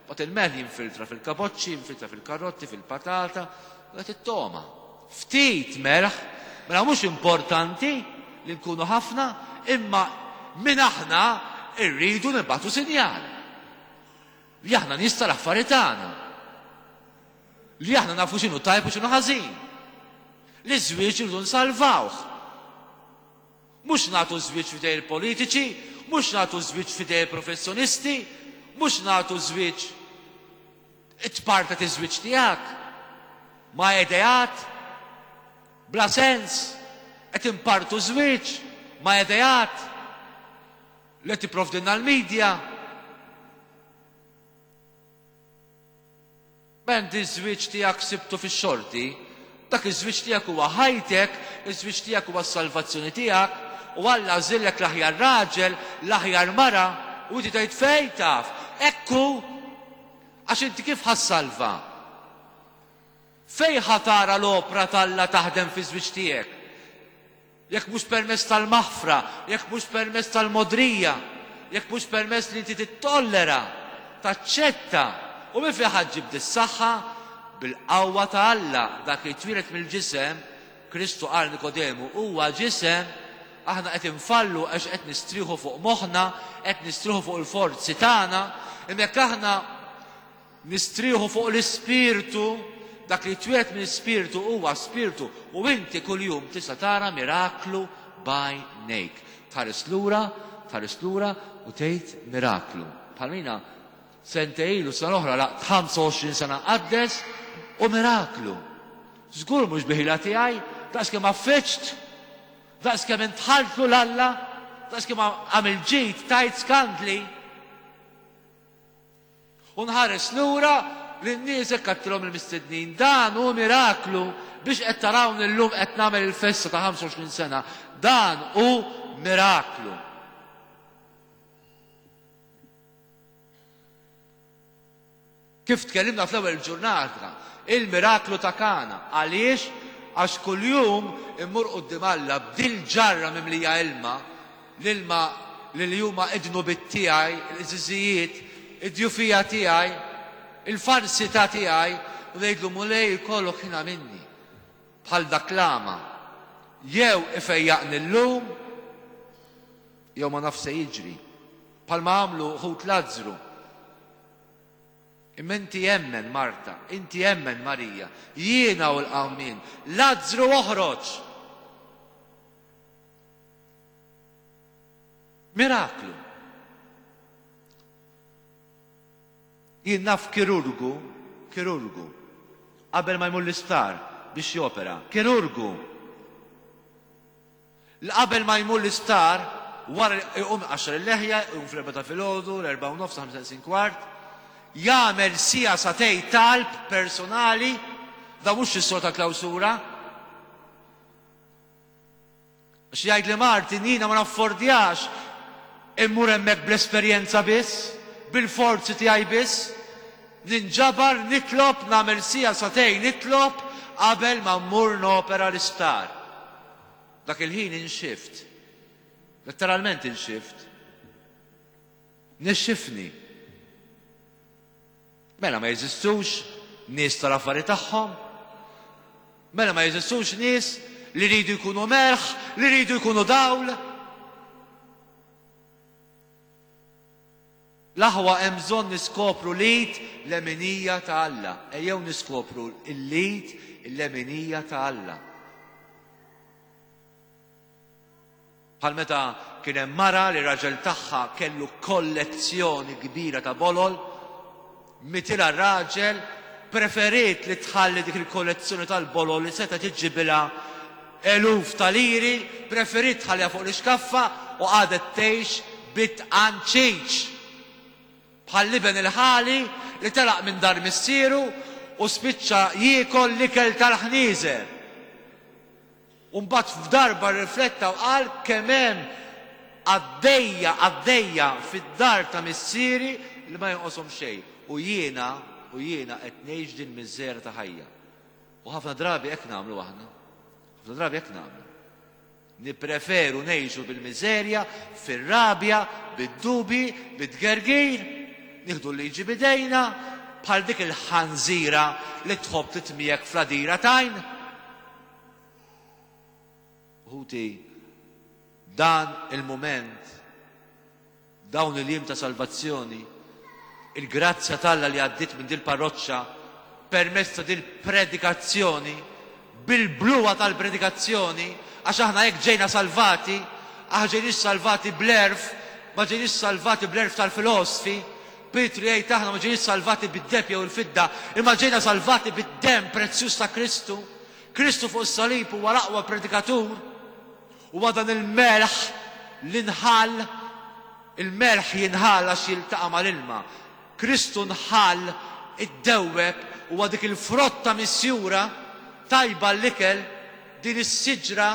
Bat il-melħ jinfiltra fil-kaboċċi, jinfiltra fil-karotti, fil-patata, u qed it-toma. Ftit melħ, mela mhux importanti li nkunu ħafna, imma minn aħna rridu nibgħatu sinjal. Li aħna nies tal-affari tagħna. Li aħna nafu x'inhu tajb u x'inhu ħażin. Li żwieġ irridu nsalvawh. Mhux nagħtu żwieġ f'idej il-politiċi, mhux nagħtu żwieġ f'idej il-professjonisti, mhux nagħtu żwieġ it-parta tiż-żwieġ tiegħek ma' ideat bla sens, qed impartu żwieġ ma' ideat li qed tipprovdilna l-medja. Menti ż-żwieġ tiegħek sibtu fix-xorti, dak iż-żwieġ tiegħek huwa ħajtek, iż-żwieġ tiegħek huwa s-salvazzjoni tiegħek, u Alla għażillek l-aħjar raġel, l-aħjar mara, u inti tgħid fejn taf, ekku, għax inti kif ħassalva? Fejn ħa tara l-opra t'Alla taħdem fiż-żwieġ tiegħek? Jekk mhux permezz tal-maħfra, jekk mhux permezz tal-modrija, jekk mhux permezz li inti tittollera, taċċetta, u minn fejn ħa ġġib dis-saħħa? Bil-qawwa ta' Alla. Dak li twieled mill-ġisem, Kristu qal Nikodemu, huwa ġisem. Aħna qed infallu għax qed nistrieħu fuq moħħna, qed nistrieħu fuq il-forzi tagħna, imma jekk aħna nistrieħu fuq l-Ispirtu, dak li twieled mill-Ispirtu huwa Spirtu, u inti kuljum tista' tara miraklu b'għajnejk. Tħares lura, tħares lura u tgħid miraklu. Bħalmina sentejn ilu, sena oħra, laqt ħamsa u għoxrin sena qaddes u miraklu. Żgur mhux biħila tiegħi, daqs kemm affiċt, daqs kemm intħaltlu l-Alla, daqs kemm għamil ġid, tajt skandli. U nħares lura lin-nies hekk għattilhom il-mistednin, dan hu miraklu biex qed tarawni llum qed nagħmel il-festa ta' ħamsa u għoxrin sena. Dan hu miraklu. Kif tkellimna fl-ewwel ġurnata, il-miraklu ta' Kana. Għaliex? Għax kuljum immur quddiem Alla b'dil ġarra mimlija ilma, l-ilma li li huma id-dnubiet tiegħi, l-qżiżijiet, id-djufija tiegħi, il-falsità tiegħi, u ngħidlu Mulej ikollok ħina minni. Bħal dak l-għama. Jew ifejjaqni llum, jew ma naf se jiġri. Bħalma għamlu ħut Lazzru. Imma inti emmen Marta, inti emmen Marija, jiena u l-qawmien, Lazzru oħroġ. Miraklu. Jien naf kirurgu, kirurgu, qabel ma jmur l-isptar biex jopera, kirurgu. Qabel ma jmur l-isptar, wara jqum għaxar il-leħja, jqum fl-erbgħa ta' filgħodu, l-erbgħa u nofs, ħamsa neqsin kwart, jagħmel sija satej talb personali, da mhux is-sor ta' klawsura. Għax jgħid li Martin jiena ma naffordjax immur hemmhekk bl-esperjenza biss, bil-forzi tiegħi biss, ninġabar, nitlob, nagħmel sija satej nitlob qabel ma mmur nopera l-isptar. Dak il-ħin inxift. Letteralment inxift. Nixxifni. Mela ma jeżistux nies tal-affari tagħhom. Mela ma jeżistux nies li jridu jkunu melħ, li jridu jkunu dawl. L-aħwa hemm bżonn niskopru l-id l-leminija ta' Alla. Ejjew niskopru l-id l-leminija ta' Alla. Bħal meta kien hemm mara li raġel tagħha kellu kollezzjoni kbira ta' bolol, mitilha r-raġel, preferiet li tħalli dik il-kollezzjoni tal-bolol li seta' tiġibilha eluf ta' liri, preferiet tħalliha fuq l-iskaffa u qagħdet tgħix bit-tqanċiċ. Bħal liben il-ħali li telaq minn dar missieru u spiċċa jiekol l-ikel tal-ħnieżer. U mbagħad f'darba rrifletta u qal kemm hemm għaddejja għaddejja fid-dar ta' missieri li ma jonqoshom xejn. U jiena u jiena qed ngħix din miżera ta' ħajja. U ħafna drabi hekk nagħmlu aħna. Ħafna drabi hekk nagħmlu. Nippreferu ngħixu bil-miżerja, fir-rabja, bid-dubi, bit-tgergir, nieħdu l-liġi bidejna, bħal dik il-ħanżira li tħobb titmiegħek fl-għadira tajn. Ħuti, dan il-mument, dawn il-jiem ta' salvazzjoni, il-grazzja t'Alla li għaddiet minn dil-parroċċa permezz ta' dil-predikazzjoni, bil-bluwa tal-predikazzjoni, għax aħna hekk ġejna salvati, aħna ġejniex salvati bl-erf, ma ġejniex salvati bl-erf tal-filosfi. Pietru jgħid aħna ma ġejniex salvati bid-deb jew il-fidda, imma ġejna salvati bid-demm prezzjuż ta' Kristu. Kristu fuq is-salib huwa l-aqwa predikatur, huwa dan il-melħ li nħall, il-melħ jinħall għax jiltaqa' mal-ilma. Kristu nħall, iddewweb, huwa dik il-frotta misjura tajba l-ikel, din is-siġra,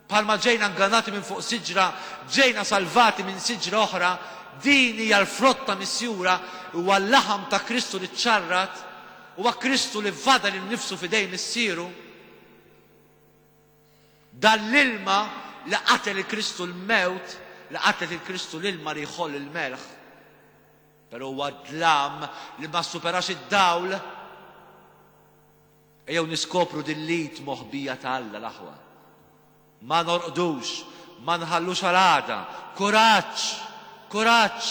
bħalma ġejna ngannati minn fuq siġra, ġejna salvati minn siġra oħra, din hija l-frotta misjura, huwa l-laħam ta' Kristu li ċċarrat, huwa Kristu li fada lil nifsu f'idejn missieru. Dan l-ilma li qatel il-Kristu l-mewt, li qatel il-Kristu l-ilma li jħoll il-melħ, però huwa dlam li ma superax id-dawl. Ejjew niskopru din l-id moħbija ta' Alla l-aħwa. Ma norqdux, ma nħallux għal għada. Kuraġġ, kuraġġ.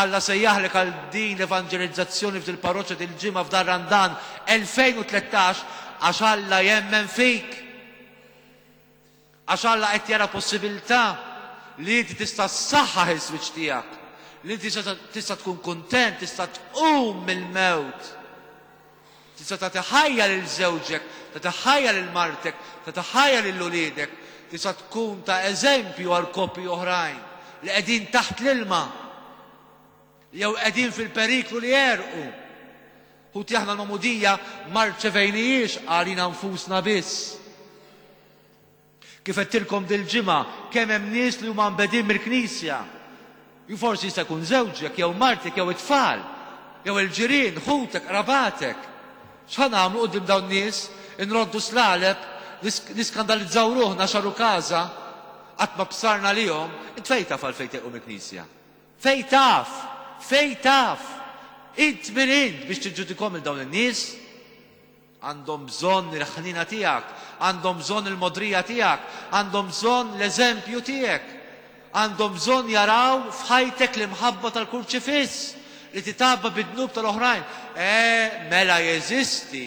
Alla sejjaħlek għal din l-evanġelizzazzjoni f'dil parroċċa dil-ġimgħa f'dar Randan elfejn u tlettax għax Alla jemmen fik. Għax Alla qed jara possibilità li inti tista' ssaħħaħ il-swiċ tiegħek, li inti tista' tkun kuntent, tista' tqum mill-mewt. Tista' tagħti ħajja lil żewġek, tagħti ħajja lil martek, tagħti ħajja lil uliedek, tista' tkun ta' eżempju għal koppji oħrajn li qegħdin taħt l-ilma jew qegħdin fil-periklu li jerqu. Ħuti aħna l-magħmudija ma rċevejnijiex għalina nfusna biss. Kif għedtilkom dil-ġimgħa kemm hemm nies li huma mbedin mill-Knisja. Ju forsi jista' jkun żewġek jew martek jew it-tfal, jew il-ġirien, ħutek, qrabatek. X'ħa nagħmlu quddiem dawn nies? Inroddu slaleb, niskandalizzaw ruħna xaru każa, qatt ma bsarna lihom. Int fejn taf għalfejn telqu mill-Knisja? Fejn taf? Fejn taf? Int min int biex tiġġudikhom il dawn in-nies? Għandhom bżonn il-ħnina tiegħek, għandhom bżonn il-modrija tiegħek, għandhom bżonn l-eżempju tiegħek. Għandhom bżonn jaraw f'ħajtek l-imħabba tal-kurċifiss li titgħabba bid-dnub tal-oħrajn. E mela jeżisti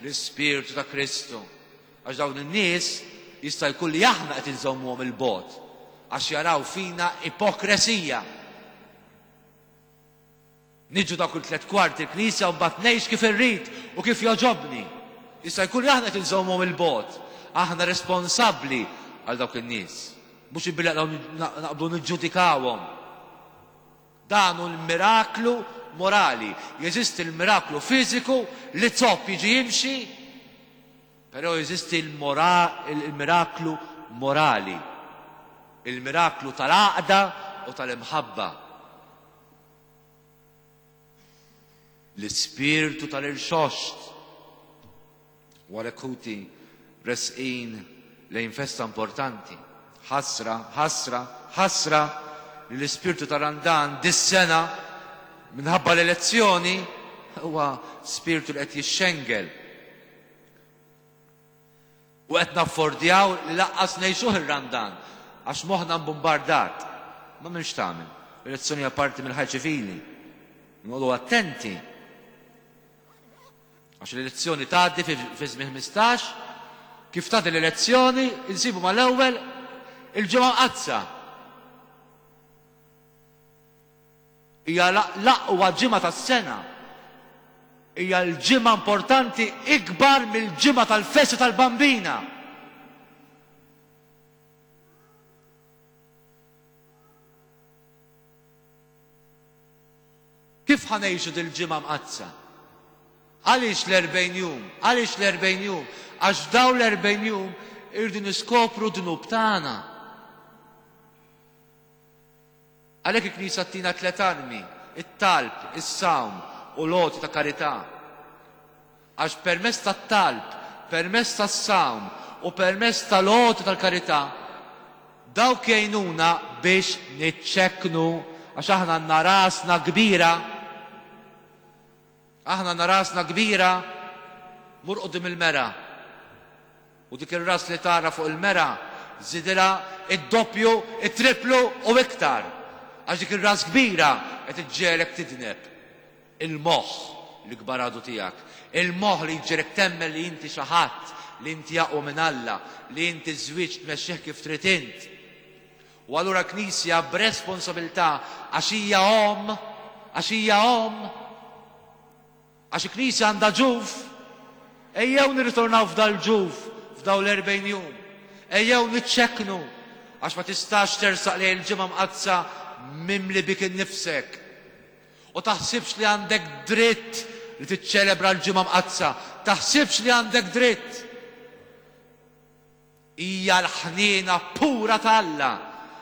l-Ispirtu ta' Kristu. Għax dawn in-nies jista' jkun li aħna qed inżommuhom il-bogħod għax jaraw fina ipokresija. Niġu dak kull tliet kwarti il-knisja u mbagħad ngħix kif irrid u kif jogħġobni. Jista' jkun li aħna qed inżommuhom il-bogħod. Aħna responsabbli għal dawk in-nies. Mhux billi naqbdu niġġudikawhom. Dan hu l-miraklu morali. Jeżisti l-miraklu fiżiku li zopp jiġi jimxi, però jeżisti il-miraklu morali. Il-miraklu tal-għaqda u tal-imħabba. L-ispirtu tal-irxoxt. Wara ħuti resqin lejn festa importanti. Ħasra, ħasra, ħasra li l-ispirtu tal-Randan dis-sena minħabba l-elezzjoni huwa spirtu li qed jixxengel. U qed naffordjaw li laqqas ngħixuh ir-Randan għax moħħna mbombardat. Ma m'hemmx tagħmel. L-elezzjoni hija parti mill-ħajja ċivili. Noqogħdu attenti. Għax l-elezzjoni tgħaddi fi żmien ħmistax, kif tgħaddi l-elezzjoni insibu mal-ewwel il-ġimgħa mqaddsa. Hija l-aqwa ġimgħa tas-sena. Hija l-ġimgħa importanti ikbar mill-ġimgħa tal-festa tal-Bambina. Kif ħa ngħixu dil-ġimgħa mqaddsa? Għaliex l-erbgħin jum? Għaliex l-erbgħin jum? Għax dawn l-erbgħin jum irridu niskopru dnub tagħna. Għalhekk il-Knisja tina tliet armi, it-talb, is-sawm u l-għoti ta' karità. Għax permezz tat-talb, permezz tas-sawm u permezz tal-għoti tal-karità, dawk jgħinuna biex niċċekknu, għax aħna għandna rasna kbira. Aħna għandna rasna kbira, mur quddiem il-mera. U dik ir-ras li tara fuq il-mera, żidilha id-doppju, it-triplu u iktar. Għax dik ir-ras kbira qed iġġegħlek tidneb. Il-moħħ l-ikbar għadu tiegħek. Il-moħħ li jġegħlek temmen li inti xi ħadd, li inti aqwa minn Alla, li inti żwieġ tmexxih kif trid int. U allura Knisja b'responsabilità għax hija omm, għax hija omm, għax il-Knisja għandha ġuf, ejjew nirritornaw f'dal-ġuf f'dawn l-erbgħin jum. Ejjew niċċekknu, għax ma tistax tersaq lejn il-ġimgħa mqaddsa mimli bik innifsek. U taħsibx li għandek dritt li tiċċelebra l-ġimgħa mqaddsa, taħsibx li għandek dritt. Hija l-ħniena pura t'Alla,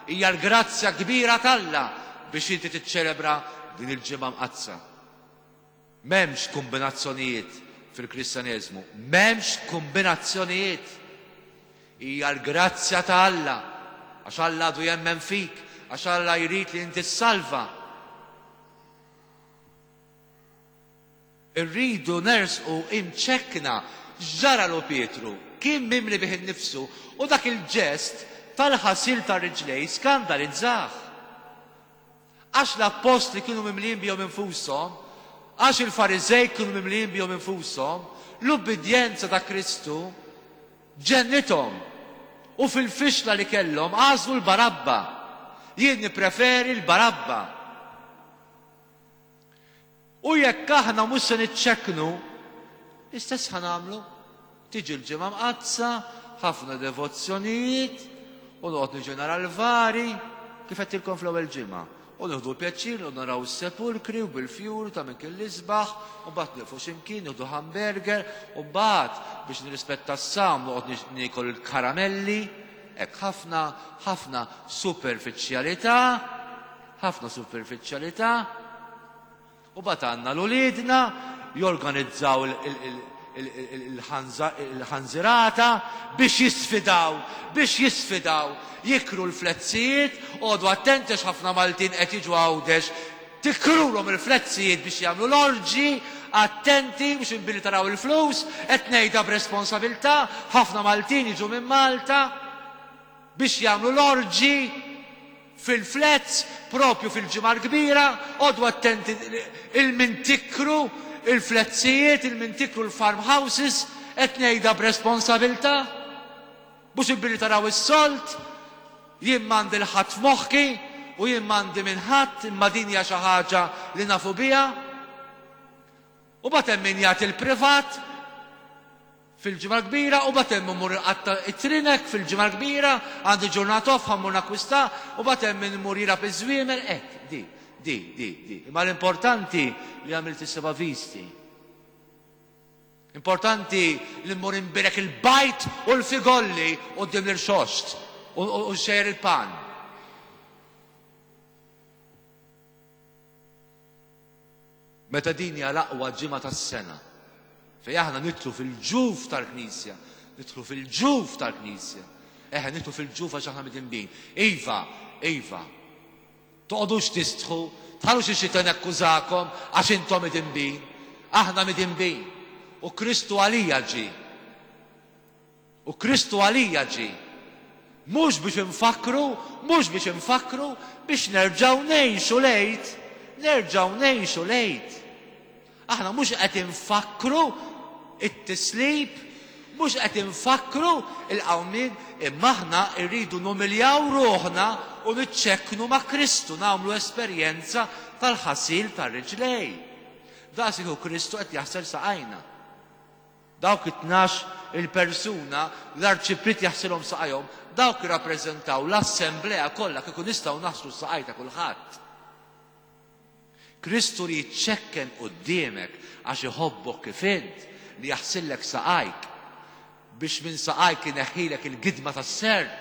hija l-grazzja kbira t'Alla biex inti tiċċelebra din il-ġimgħa mqaddsa. M'hemmx kombinazzjonijiet fil-Kristjaneżmu, m'hemmx kombinazzjonijiet. Hija l-grazzja ta' Alla, għax Alla għadu jemmen fik, għax Alla jrid li inti ssalva. Irridu nersqu imċekkna. X'ġaralu Pietru? Kien mimli bih innifsu u dak il-ġest tal-ħasil tar-riġlej skandalizzah. Għax l-appostli kienu mimlijin bihom infushom, għax il-Fariżej kienu mimlijin bihom infushom, l-ubbidjenza ta' Kristu ġennithom. U fil-fixla li kellhom għażlu l-Barabba. Jien nippreferi l-Barabba. U jekk aħna mhux se niċċekknu, l-istess ħa nagħmlu. Tiġi l-ġimgħa mqaddsa, ħafna devozzjonijiet, u noqgħod niġi nara l-vari, kif għedtilkom fl-ewwel ġimgħa. U nieħdu pjaċir u naraw is-sepulkri u bil-fjur ta' minn kien l-isbaħ, u mbagħad nieqfu x'imkien, nieħdu hamburger, u mbagħad biex nirrispetta s-sawm noqgħod niekol il-karamelli. Hekk ħafna, ħafna superfiċjalità, ħafna superfiċjalità. U mbagħad għandna l-uliedna jorganizzaw il-ħanżirata biex jisfidaw, biex jisfidaw, jikru l-flezzijiet. Għodu attenti għax ħafna Maltin qed jiġu Għawdex Tikrulhom il-flezzijiet biex jagħmlu l-orġi, attenti biex inbilli taraw il-flus, qed ngħidha b'responsabilità, ħafna Maltin jiġu minn Malta biex jagħmlu l-orġi fil-flezz propju fil-Ġimgħa l-Kbira, għodu attenti il-mintikru il-flezzijiet, il-mintikru l-farmhouses, qed ngħidha b'responsabilità. Mhux inbilli taraw is-solt, jien m'għandi l-ħadd f'moħħi u jien m'għandi minn ħadd, imma din hija xi ħaġa li nafu biha. U bagħad hemm min jagħti l-privat fil-Ġimgħa l-Kbira, u bagħad hemm imur iqatta' it-trinek fil-Ġimgħa l-Kbira, għandi ġurnata off ħa mmur nakkwista, u bagħad hemm min imur jilgħab iż-żwiemel, hekk, di, di, di, di. Imma l-importanti li għamilt is-seba' visti. Importanti li mmur imbirek il-bajt u l-figolli quddiem l-irxoxt u xejjer il-pan. Meta din hija l-aqwa ġimgħa tas-sena, fejn aħna nidħlu fil-ġuf tal-Knisja, nidħlu fil-ġuf tal-Knisja. Eħe, nidħlu fil-ġuf għax aħna midinbin. Iva, iva. Toqgħodux tistħu, tħallux ix-xitan jakkużakom għax intom midinbin. Aħna midinbin. U Kristu għalija ġie. U Kristu għalija ġie. Mhux biex infakru, mhux biex infakru, biex nerġgħu ngħixu l-Għid. Nerġgħu ngħixu l-Għid. Aħna mhux qed infakru it-tislib, mhux qed infakru il-qawmien, imma aħna rridu numiljaw ruħna u niċċekknu ma' Kristu, nagħmlu esperjenza tal-ħasil tar-riġlej. Daqs iku Kristu qed jaħsel saqajna. Dawk it-tnax il-persuna l-arċipriet jaħsilhom saqajhom, dawk jirrappreżentaw l-assemblea kollha kieku nistgħu naħslu saqaj ta' kulħadd. Kristu li jiċċekken quddiemek għax iħobbok kif int, li jaħsillek saqajk biex minn saqajk ineħħilek il-gidma tas-serp.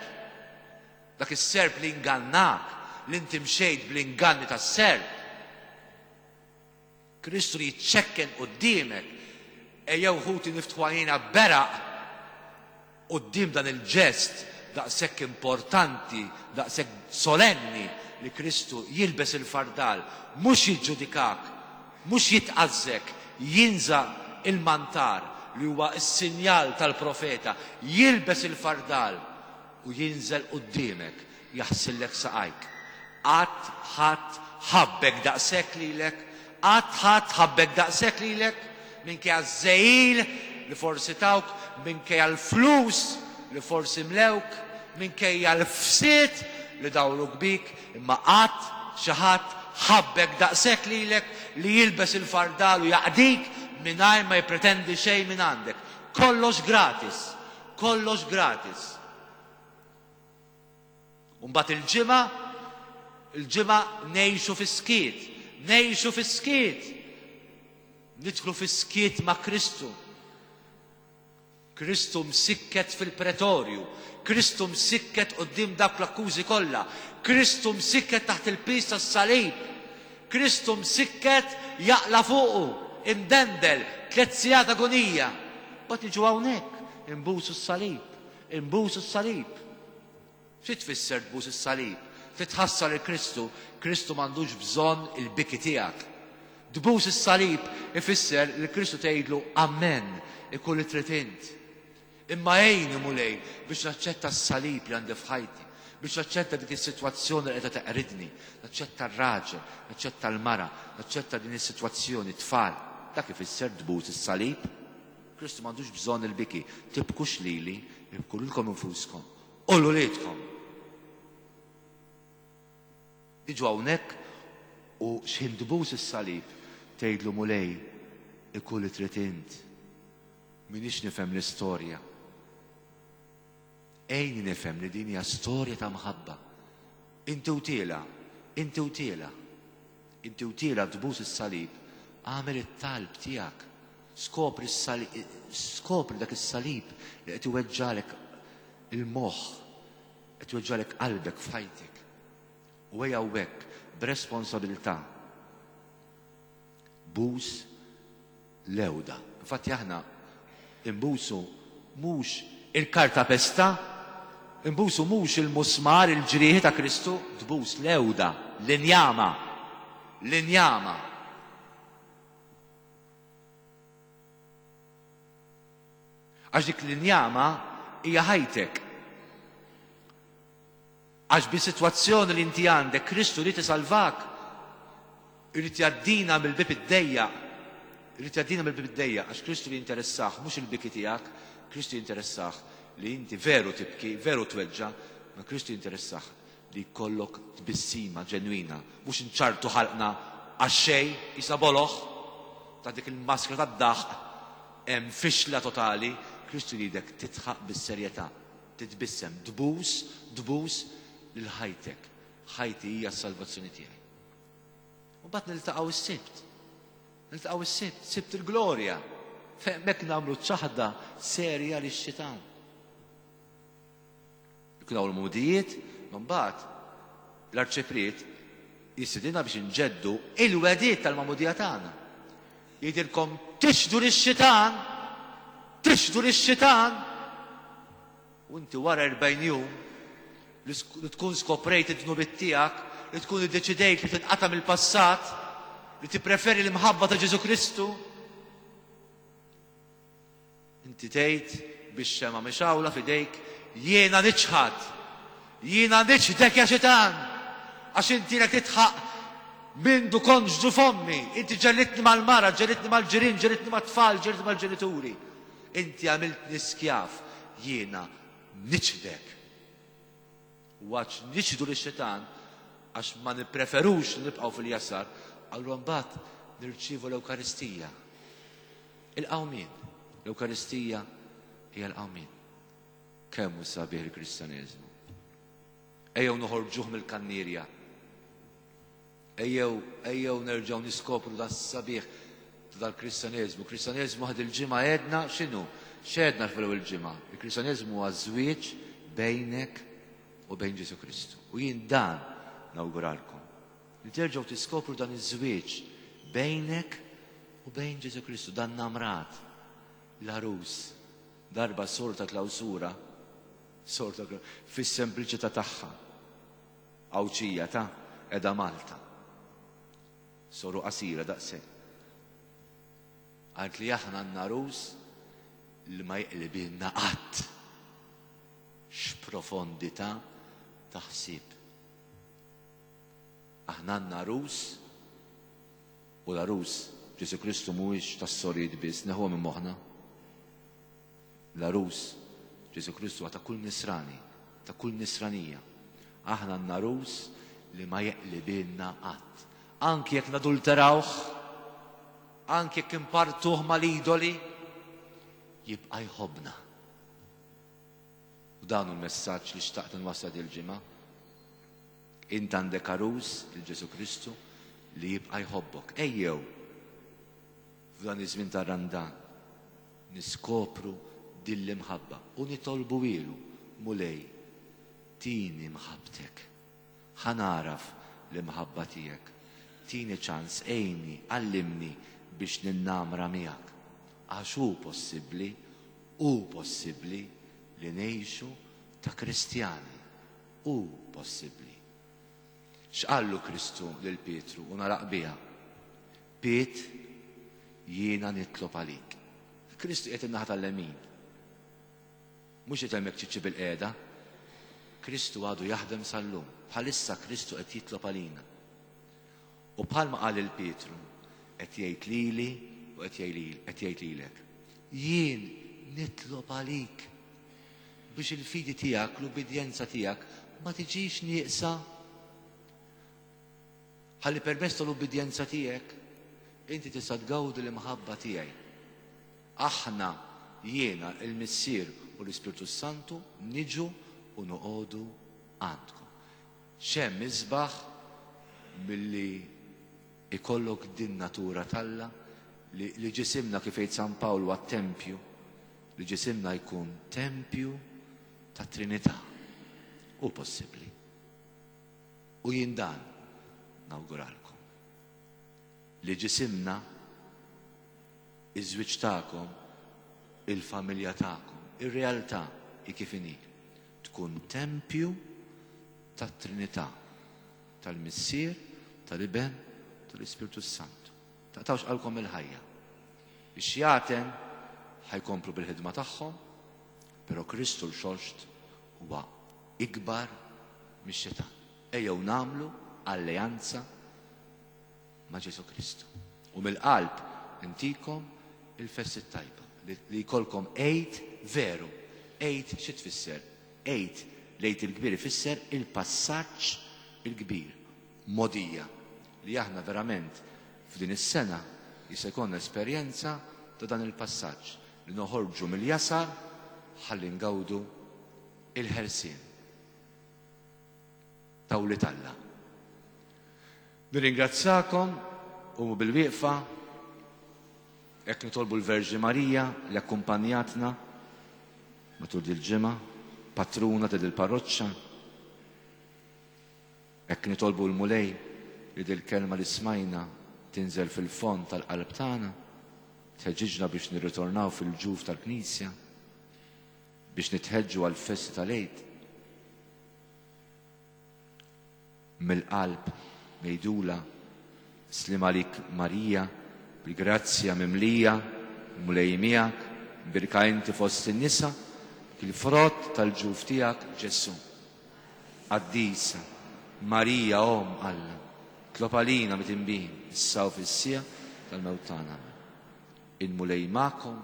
Dak is-serp li ingannak, li inti mxejt bl-inganni tas-serp. Kristu li jiċċekken quddiemek. Ejjew ħuti niftħu għajnejna beraq quddiem dan il-ġest daqshekk importanti, daqshekk solenni li Kristu jilbes il-fardal, mhux jiġġudikak, mhux jitqażżek, jinża il-mantar li huwa s-sinjal tal-profeta, jilbes il-fardal u jinżel quddiemek, jaħsillek saqajk. Qatt ħadd ħabbek daqshekk lilek, qatt ħadd ħabbek daqshekk lilek, minkejja ż-żejjil li forsi tawk, minkejja l-flus li forsi mlewk, minkejja l-fsied li dawruk bik, imma qatt xi ħadd ħabbek daqshekk lilek li jilbes il-fardal u jaqdik mingħajr ma jippretendi xejn minn għandek. Kollox gratis, kollox gratis. U mbagħad il-ġimgħa, il-ġimgħa ngħixu fis-skiet, ngħixu fis-skiet. Nidħlu fis-skiet ma' Kristu. Kristu msikket fil-pretorju, Kristu msikket quddiem dawk l-akkużi kollha, Kristu msikket taħt il-piż tas-salib, Kristu msikket jaqla fuqu, imdendel, tliet sigħat agonija. Mbagħad niġu hawnhekk, imbusu s-salib, imbusu s-salib. Xi tfisser tbus is-salib? Titħassar il Kristu, Kristu m'għandux bżonn il-biki tiegħek. Tbus is-salib ifisser li Kristu tgħidlu amen, ikun li trid int. Imma għejni Mulej biex naċċetta s-salib li għandi f'ħajti, biex naċċetta dik is-sitwazzjoni li qiegħda teqridni, naċċetta r-raġel, naċċetta l-mara, naċċetta din is-sitwazzjoni tfal. Dak ifisser tbus is-salib. Kristu m'għandux bżonn il-biki. Tibkux lili, ibku lilkom infuskom u l-uliedkom. Iġu hawnhekk u x'ħin tbus is-salib tgħidlu Mulej ikun li trid int. Minix nifhem l-istorja. Ejni nifhem li din hija storja ta' mħabba. Inti u tiela, inti u tiela. Inti u tiela tbus is-salib, agħmel it-talb tiegħek. Skopri s-salib, skopri dak is-salib li qed iweġġalek il-moħħ, qed iweġġalek qalbek f'ħajtek. U ejja hawnhekk b'responsabilità. Bus l-ewda. Infatti aħna imbusu mhux il-karta pesta, imbusu mhux il-musmar, il-ġrieħi ta' Kristu, tbus l-ewda, l-injama, l-injama. Għax dik l-injama hija ħajtek. Għax bi-sitwazzjoni li inti għandek, Kristu irid isalvak. Irid jgħaddina mill-bieb id-dejjaq. Irid jgħaddina mill-bieb id-dejjaq, għax Kristu jinteressah mhux il-biki tiegħek, Kristu jinteressah li inti veru tibki, veru tweġġa, ma Kristu jinteressah li jkollok tbissima ġenwina, mhux inċartu ħalqna għax xejn, isa boloħ ta' dik il-maskra tad-daħq, hemm fixla totali. Kristu jridek titħaq bis-serjetà, titbissem, tbus, tbus lil ħajtek. Ħajti hija s-salvazzjoni tiegħi. U mbagħad niltaqgħu s-Sibt. Niltaqgħu s-Sibt, Sibt il-glorja. Hemmhekk nagħmlu ċaħda serja lix-xitan. Ikun hawn l-mudijiet, ma mbagħad l-arċipriet jistedinna biex inġeddu il-wediet tal-magħmudija tagħna. Jgħidilkom tixhdu lix-xitan, tixhdu lix-xitan. U inti wara erbgħin jum li tkun skoprejt id-dnubiet tiegħek, li tkun iddeċidejt li tinqata' mill-passat, li tippreferi l-imħabba ta' Ġesu Kristu, inti tgħid biex xema mixawla f'idejk, jiena niċħad, jiena niċħdek ja xitan, għax inti lek titħaq mindu kont ġdu fommi, inti ġellitni mal-mara, ġellitni mal-ġirien, ġellitni mat-tfal, ġellitni mal-ġenituri. Inti għamiltni skjav, jiena niċħdek. U għax niċħdu lix-xitan, għax ma nippreferux li nibqgħu fil-jasar, allura mbagħad nirċievu l-Ewkaristija. Il-qawmien. L-Ewkaristija hija l-qawmien. Kemm hu sabiħ il-Kristjaneżmu. Ejjew noħorġuh mill-kannierja. Ejjew, ejjew nerġgħu niskopru da sabiħ dal-Kristjaneżmu. Kristjaneżmu ħad il-ġimgħa għedna x'inhu? X'għedna fl-ewwel ġimgħa? Il-Kristjaneżmu huwa żwieġ bejnek u bejn Ġesu Kristu. U jien dan nawguralkom. Li terġgħu tiskopru dan iż-żwieġ bejnek u bejn Ġesu Kristu, dan namrat, l-għarus. Darba sor ta' klawsura, sor ta' klawsura, fis-sempliċità tagħha, Għawdxija ta' qiegħda Malta. Soru qasira daqshekk. Għalt li aħna għandna għarus li ma jqlibilna qatt. X'profondità ta' ħsieb. Aħna għandna għarus, u l-għarus Ġesu Kristu mhuwiex tas-sorijiet biss, neħuha minn moħħna. L-għarus Ġesu Kristu ta' kull nisrani, ta' kull nisranija. Aħna għandna għarus li ma jeqlibilna qatt. Anki jekk nadulterawh, anki jekk impartuh mal-idoli, jibqa' jħobbna. U dan hu l-messaġġ li xtaqt nwassal dil-ġimgħa. Int għandek għarus, il-Ġesu Kristu, li jibqa' jħobbok. Ejjew f'dan iż-żmien tar-Randan niskopru din l-imħabba u nitolbu ilu, Mulej, tini mħabbtek. Ħa naraf l-imħabba tiegħek. Tini ċans, għinni, għallimni biex ninnamra miegħek. Għax hu possibbli, hu possibbli li ngħixu ta' Kristjani. Hu possibbli. X'qallu Kristu lil Pietru u naraq biha? Piet, jiena nitlob għalik. Kristu qiegħed in-naħa tal-lemin. Mhux qed hemmhekk ċiċċi bil-qiegħda. Kristu għadu jaħdem sal-lum. Bħalissa Kristu qed jitlob għalina. U bħalma qal il Pietru, qed jgħid lili u qed jgħid lilek. Jien nitlob għalik biex il-fidi tiegħek, l-ubbidjenza tiegħek ma tiġix nieqsa. Ħalli permezz tal-ubbidjenza tiegħek inti tista' tgawdi l-imħabba tiegħi. Aħna, jiena, il-Missier u l-Ispirtu Santu niġu u noqogħdu għandkom. X'hemm isbaħ milli ikollok din natura t'Alla li, li ġisimna, kif jgħid San Pawl, huwa tempju, li ġisimna jkun tempju ta' Trinità. Hu possibbli. U jien dan nawguralkom. Li ġisimna, iż-żwieġ tagħkom, il-familja tagħkom, ir-realtà hi kif inhi, tkun tempju tat-Trinità, tal-Missier, tal-Iben, tal-Ispirtu Santu. Taqtgħux qalbkom il-ħajja. Ix-xjaten ħa jkomplu bil-ħidma tagħhom, però Kristu l-Xoxt huwa ikbar mix-xitan. Ejjew nagħmlu alleanza ma' Ġesu Kristu. U mill-qalb intikom il-festi tajba li jkollkom Għid veru. Għid xi tfisser? Għid, l-Għid il-kbir ifisser il-passaġġ il-kbir, mogħdija li aħna verament f'din is-sena jista' jkollna esperjenza ta' dan il-passaġġ li noħorġu mill-jasar ħalli ngawdu il-ħelsien ta' wlied Alla. Nirringrazzakom u bil-wieqfa hekk nitolbu l-Verġni Marija li akkumpanjatna matul dil-ġimgħa, patruna ta' dil-parroċċa. Hekk nitolbu l-Mulej li dil-kelma li smajna tinżel fil-fond tal-qalb tagħna, tħeġġiġna biex nirritornaw fil-ġuf tal-Knisja, biex nitħeġġu għal-festi tal-Għid. Mill-qalb ngħidula sliem għalik Marija, bil-grazzja mimlija, Mulej miegħek, mbierka inti fost in-nisa, il-frott tal-ġuf tiegħek Ġesù. Qaddisa, Marija Omm Alla, itlob għalina midinbin, issa u fis-siegħa tal-mewt tagħna. Il-Mulej magħkom,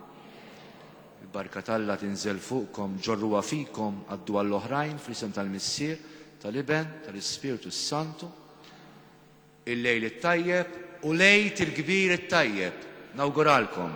il-barka t'Alla tinżel fuqkom, ġorruha fikom, għaddu għall-oħrajn fl-isem tal-Missier, tal-Iben, tal-Ispirtu Santu. Il-lejl it-tajjeb u l-Għid il-kbir it-tajjeb. Nawguralkom.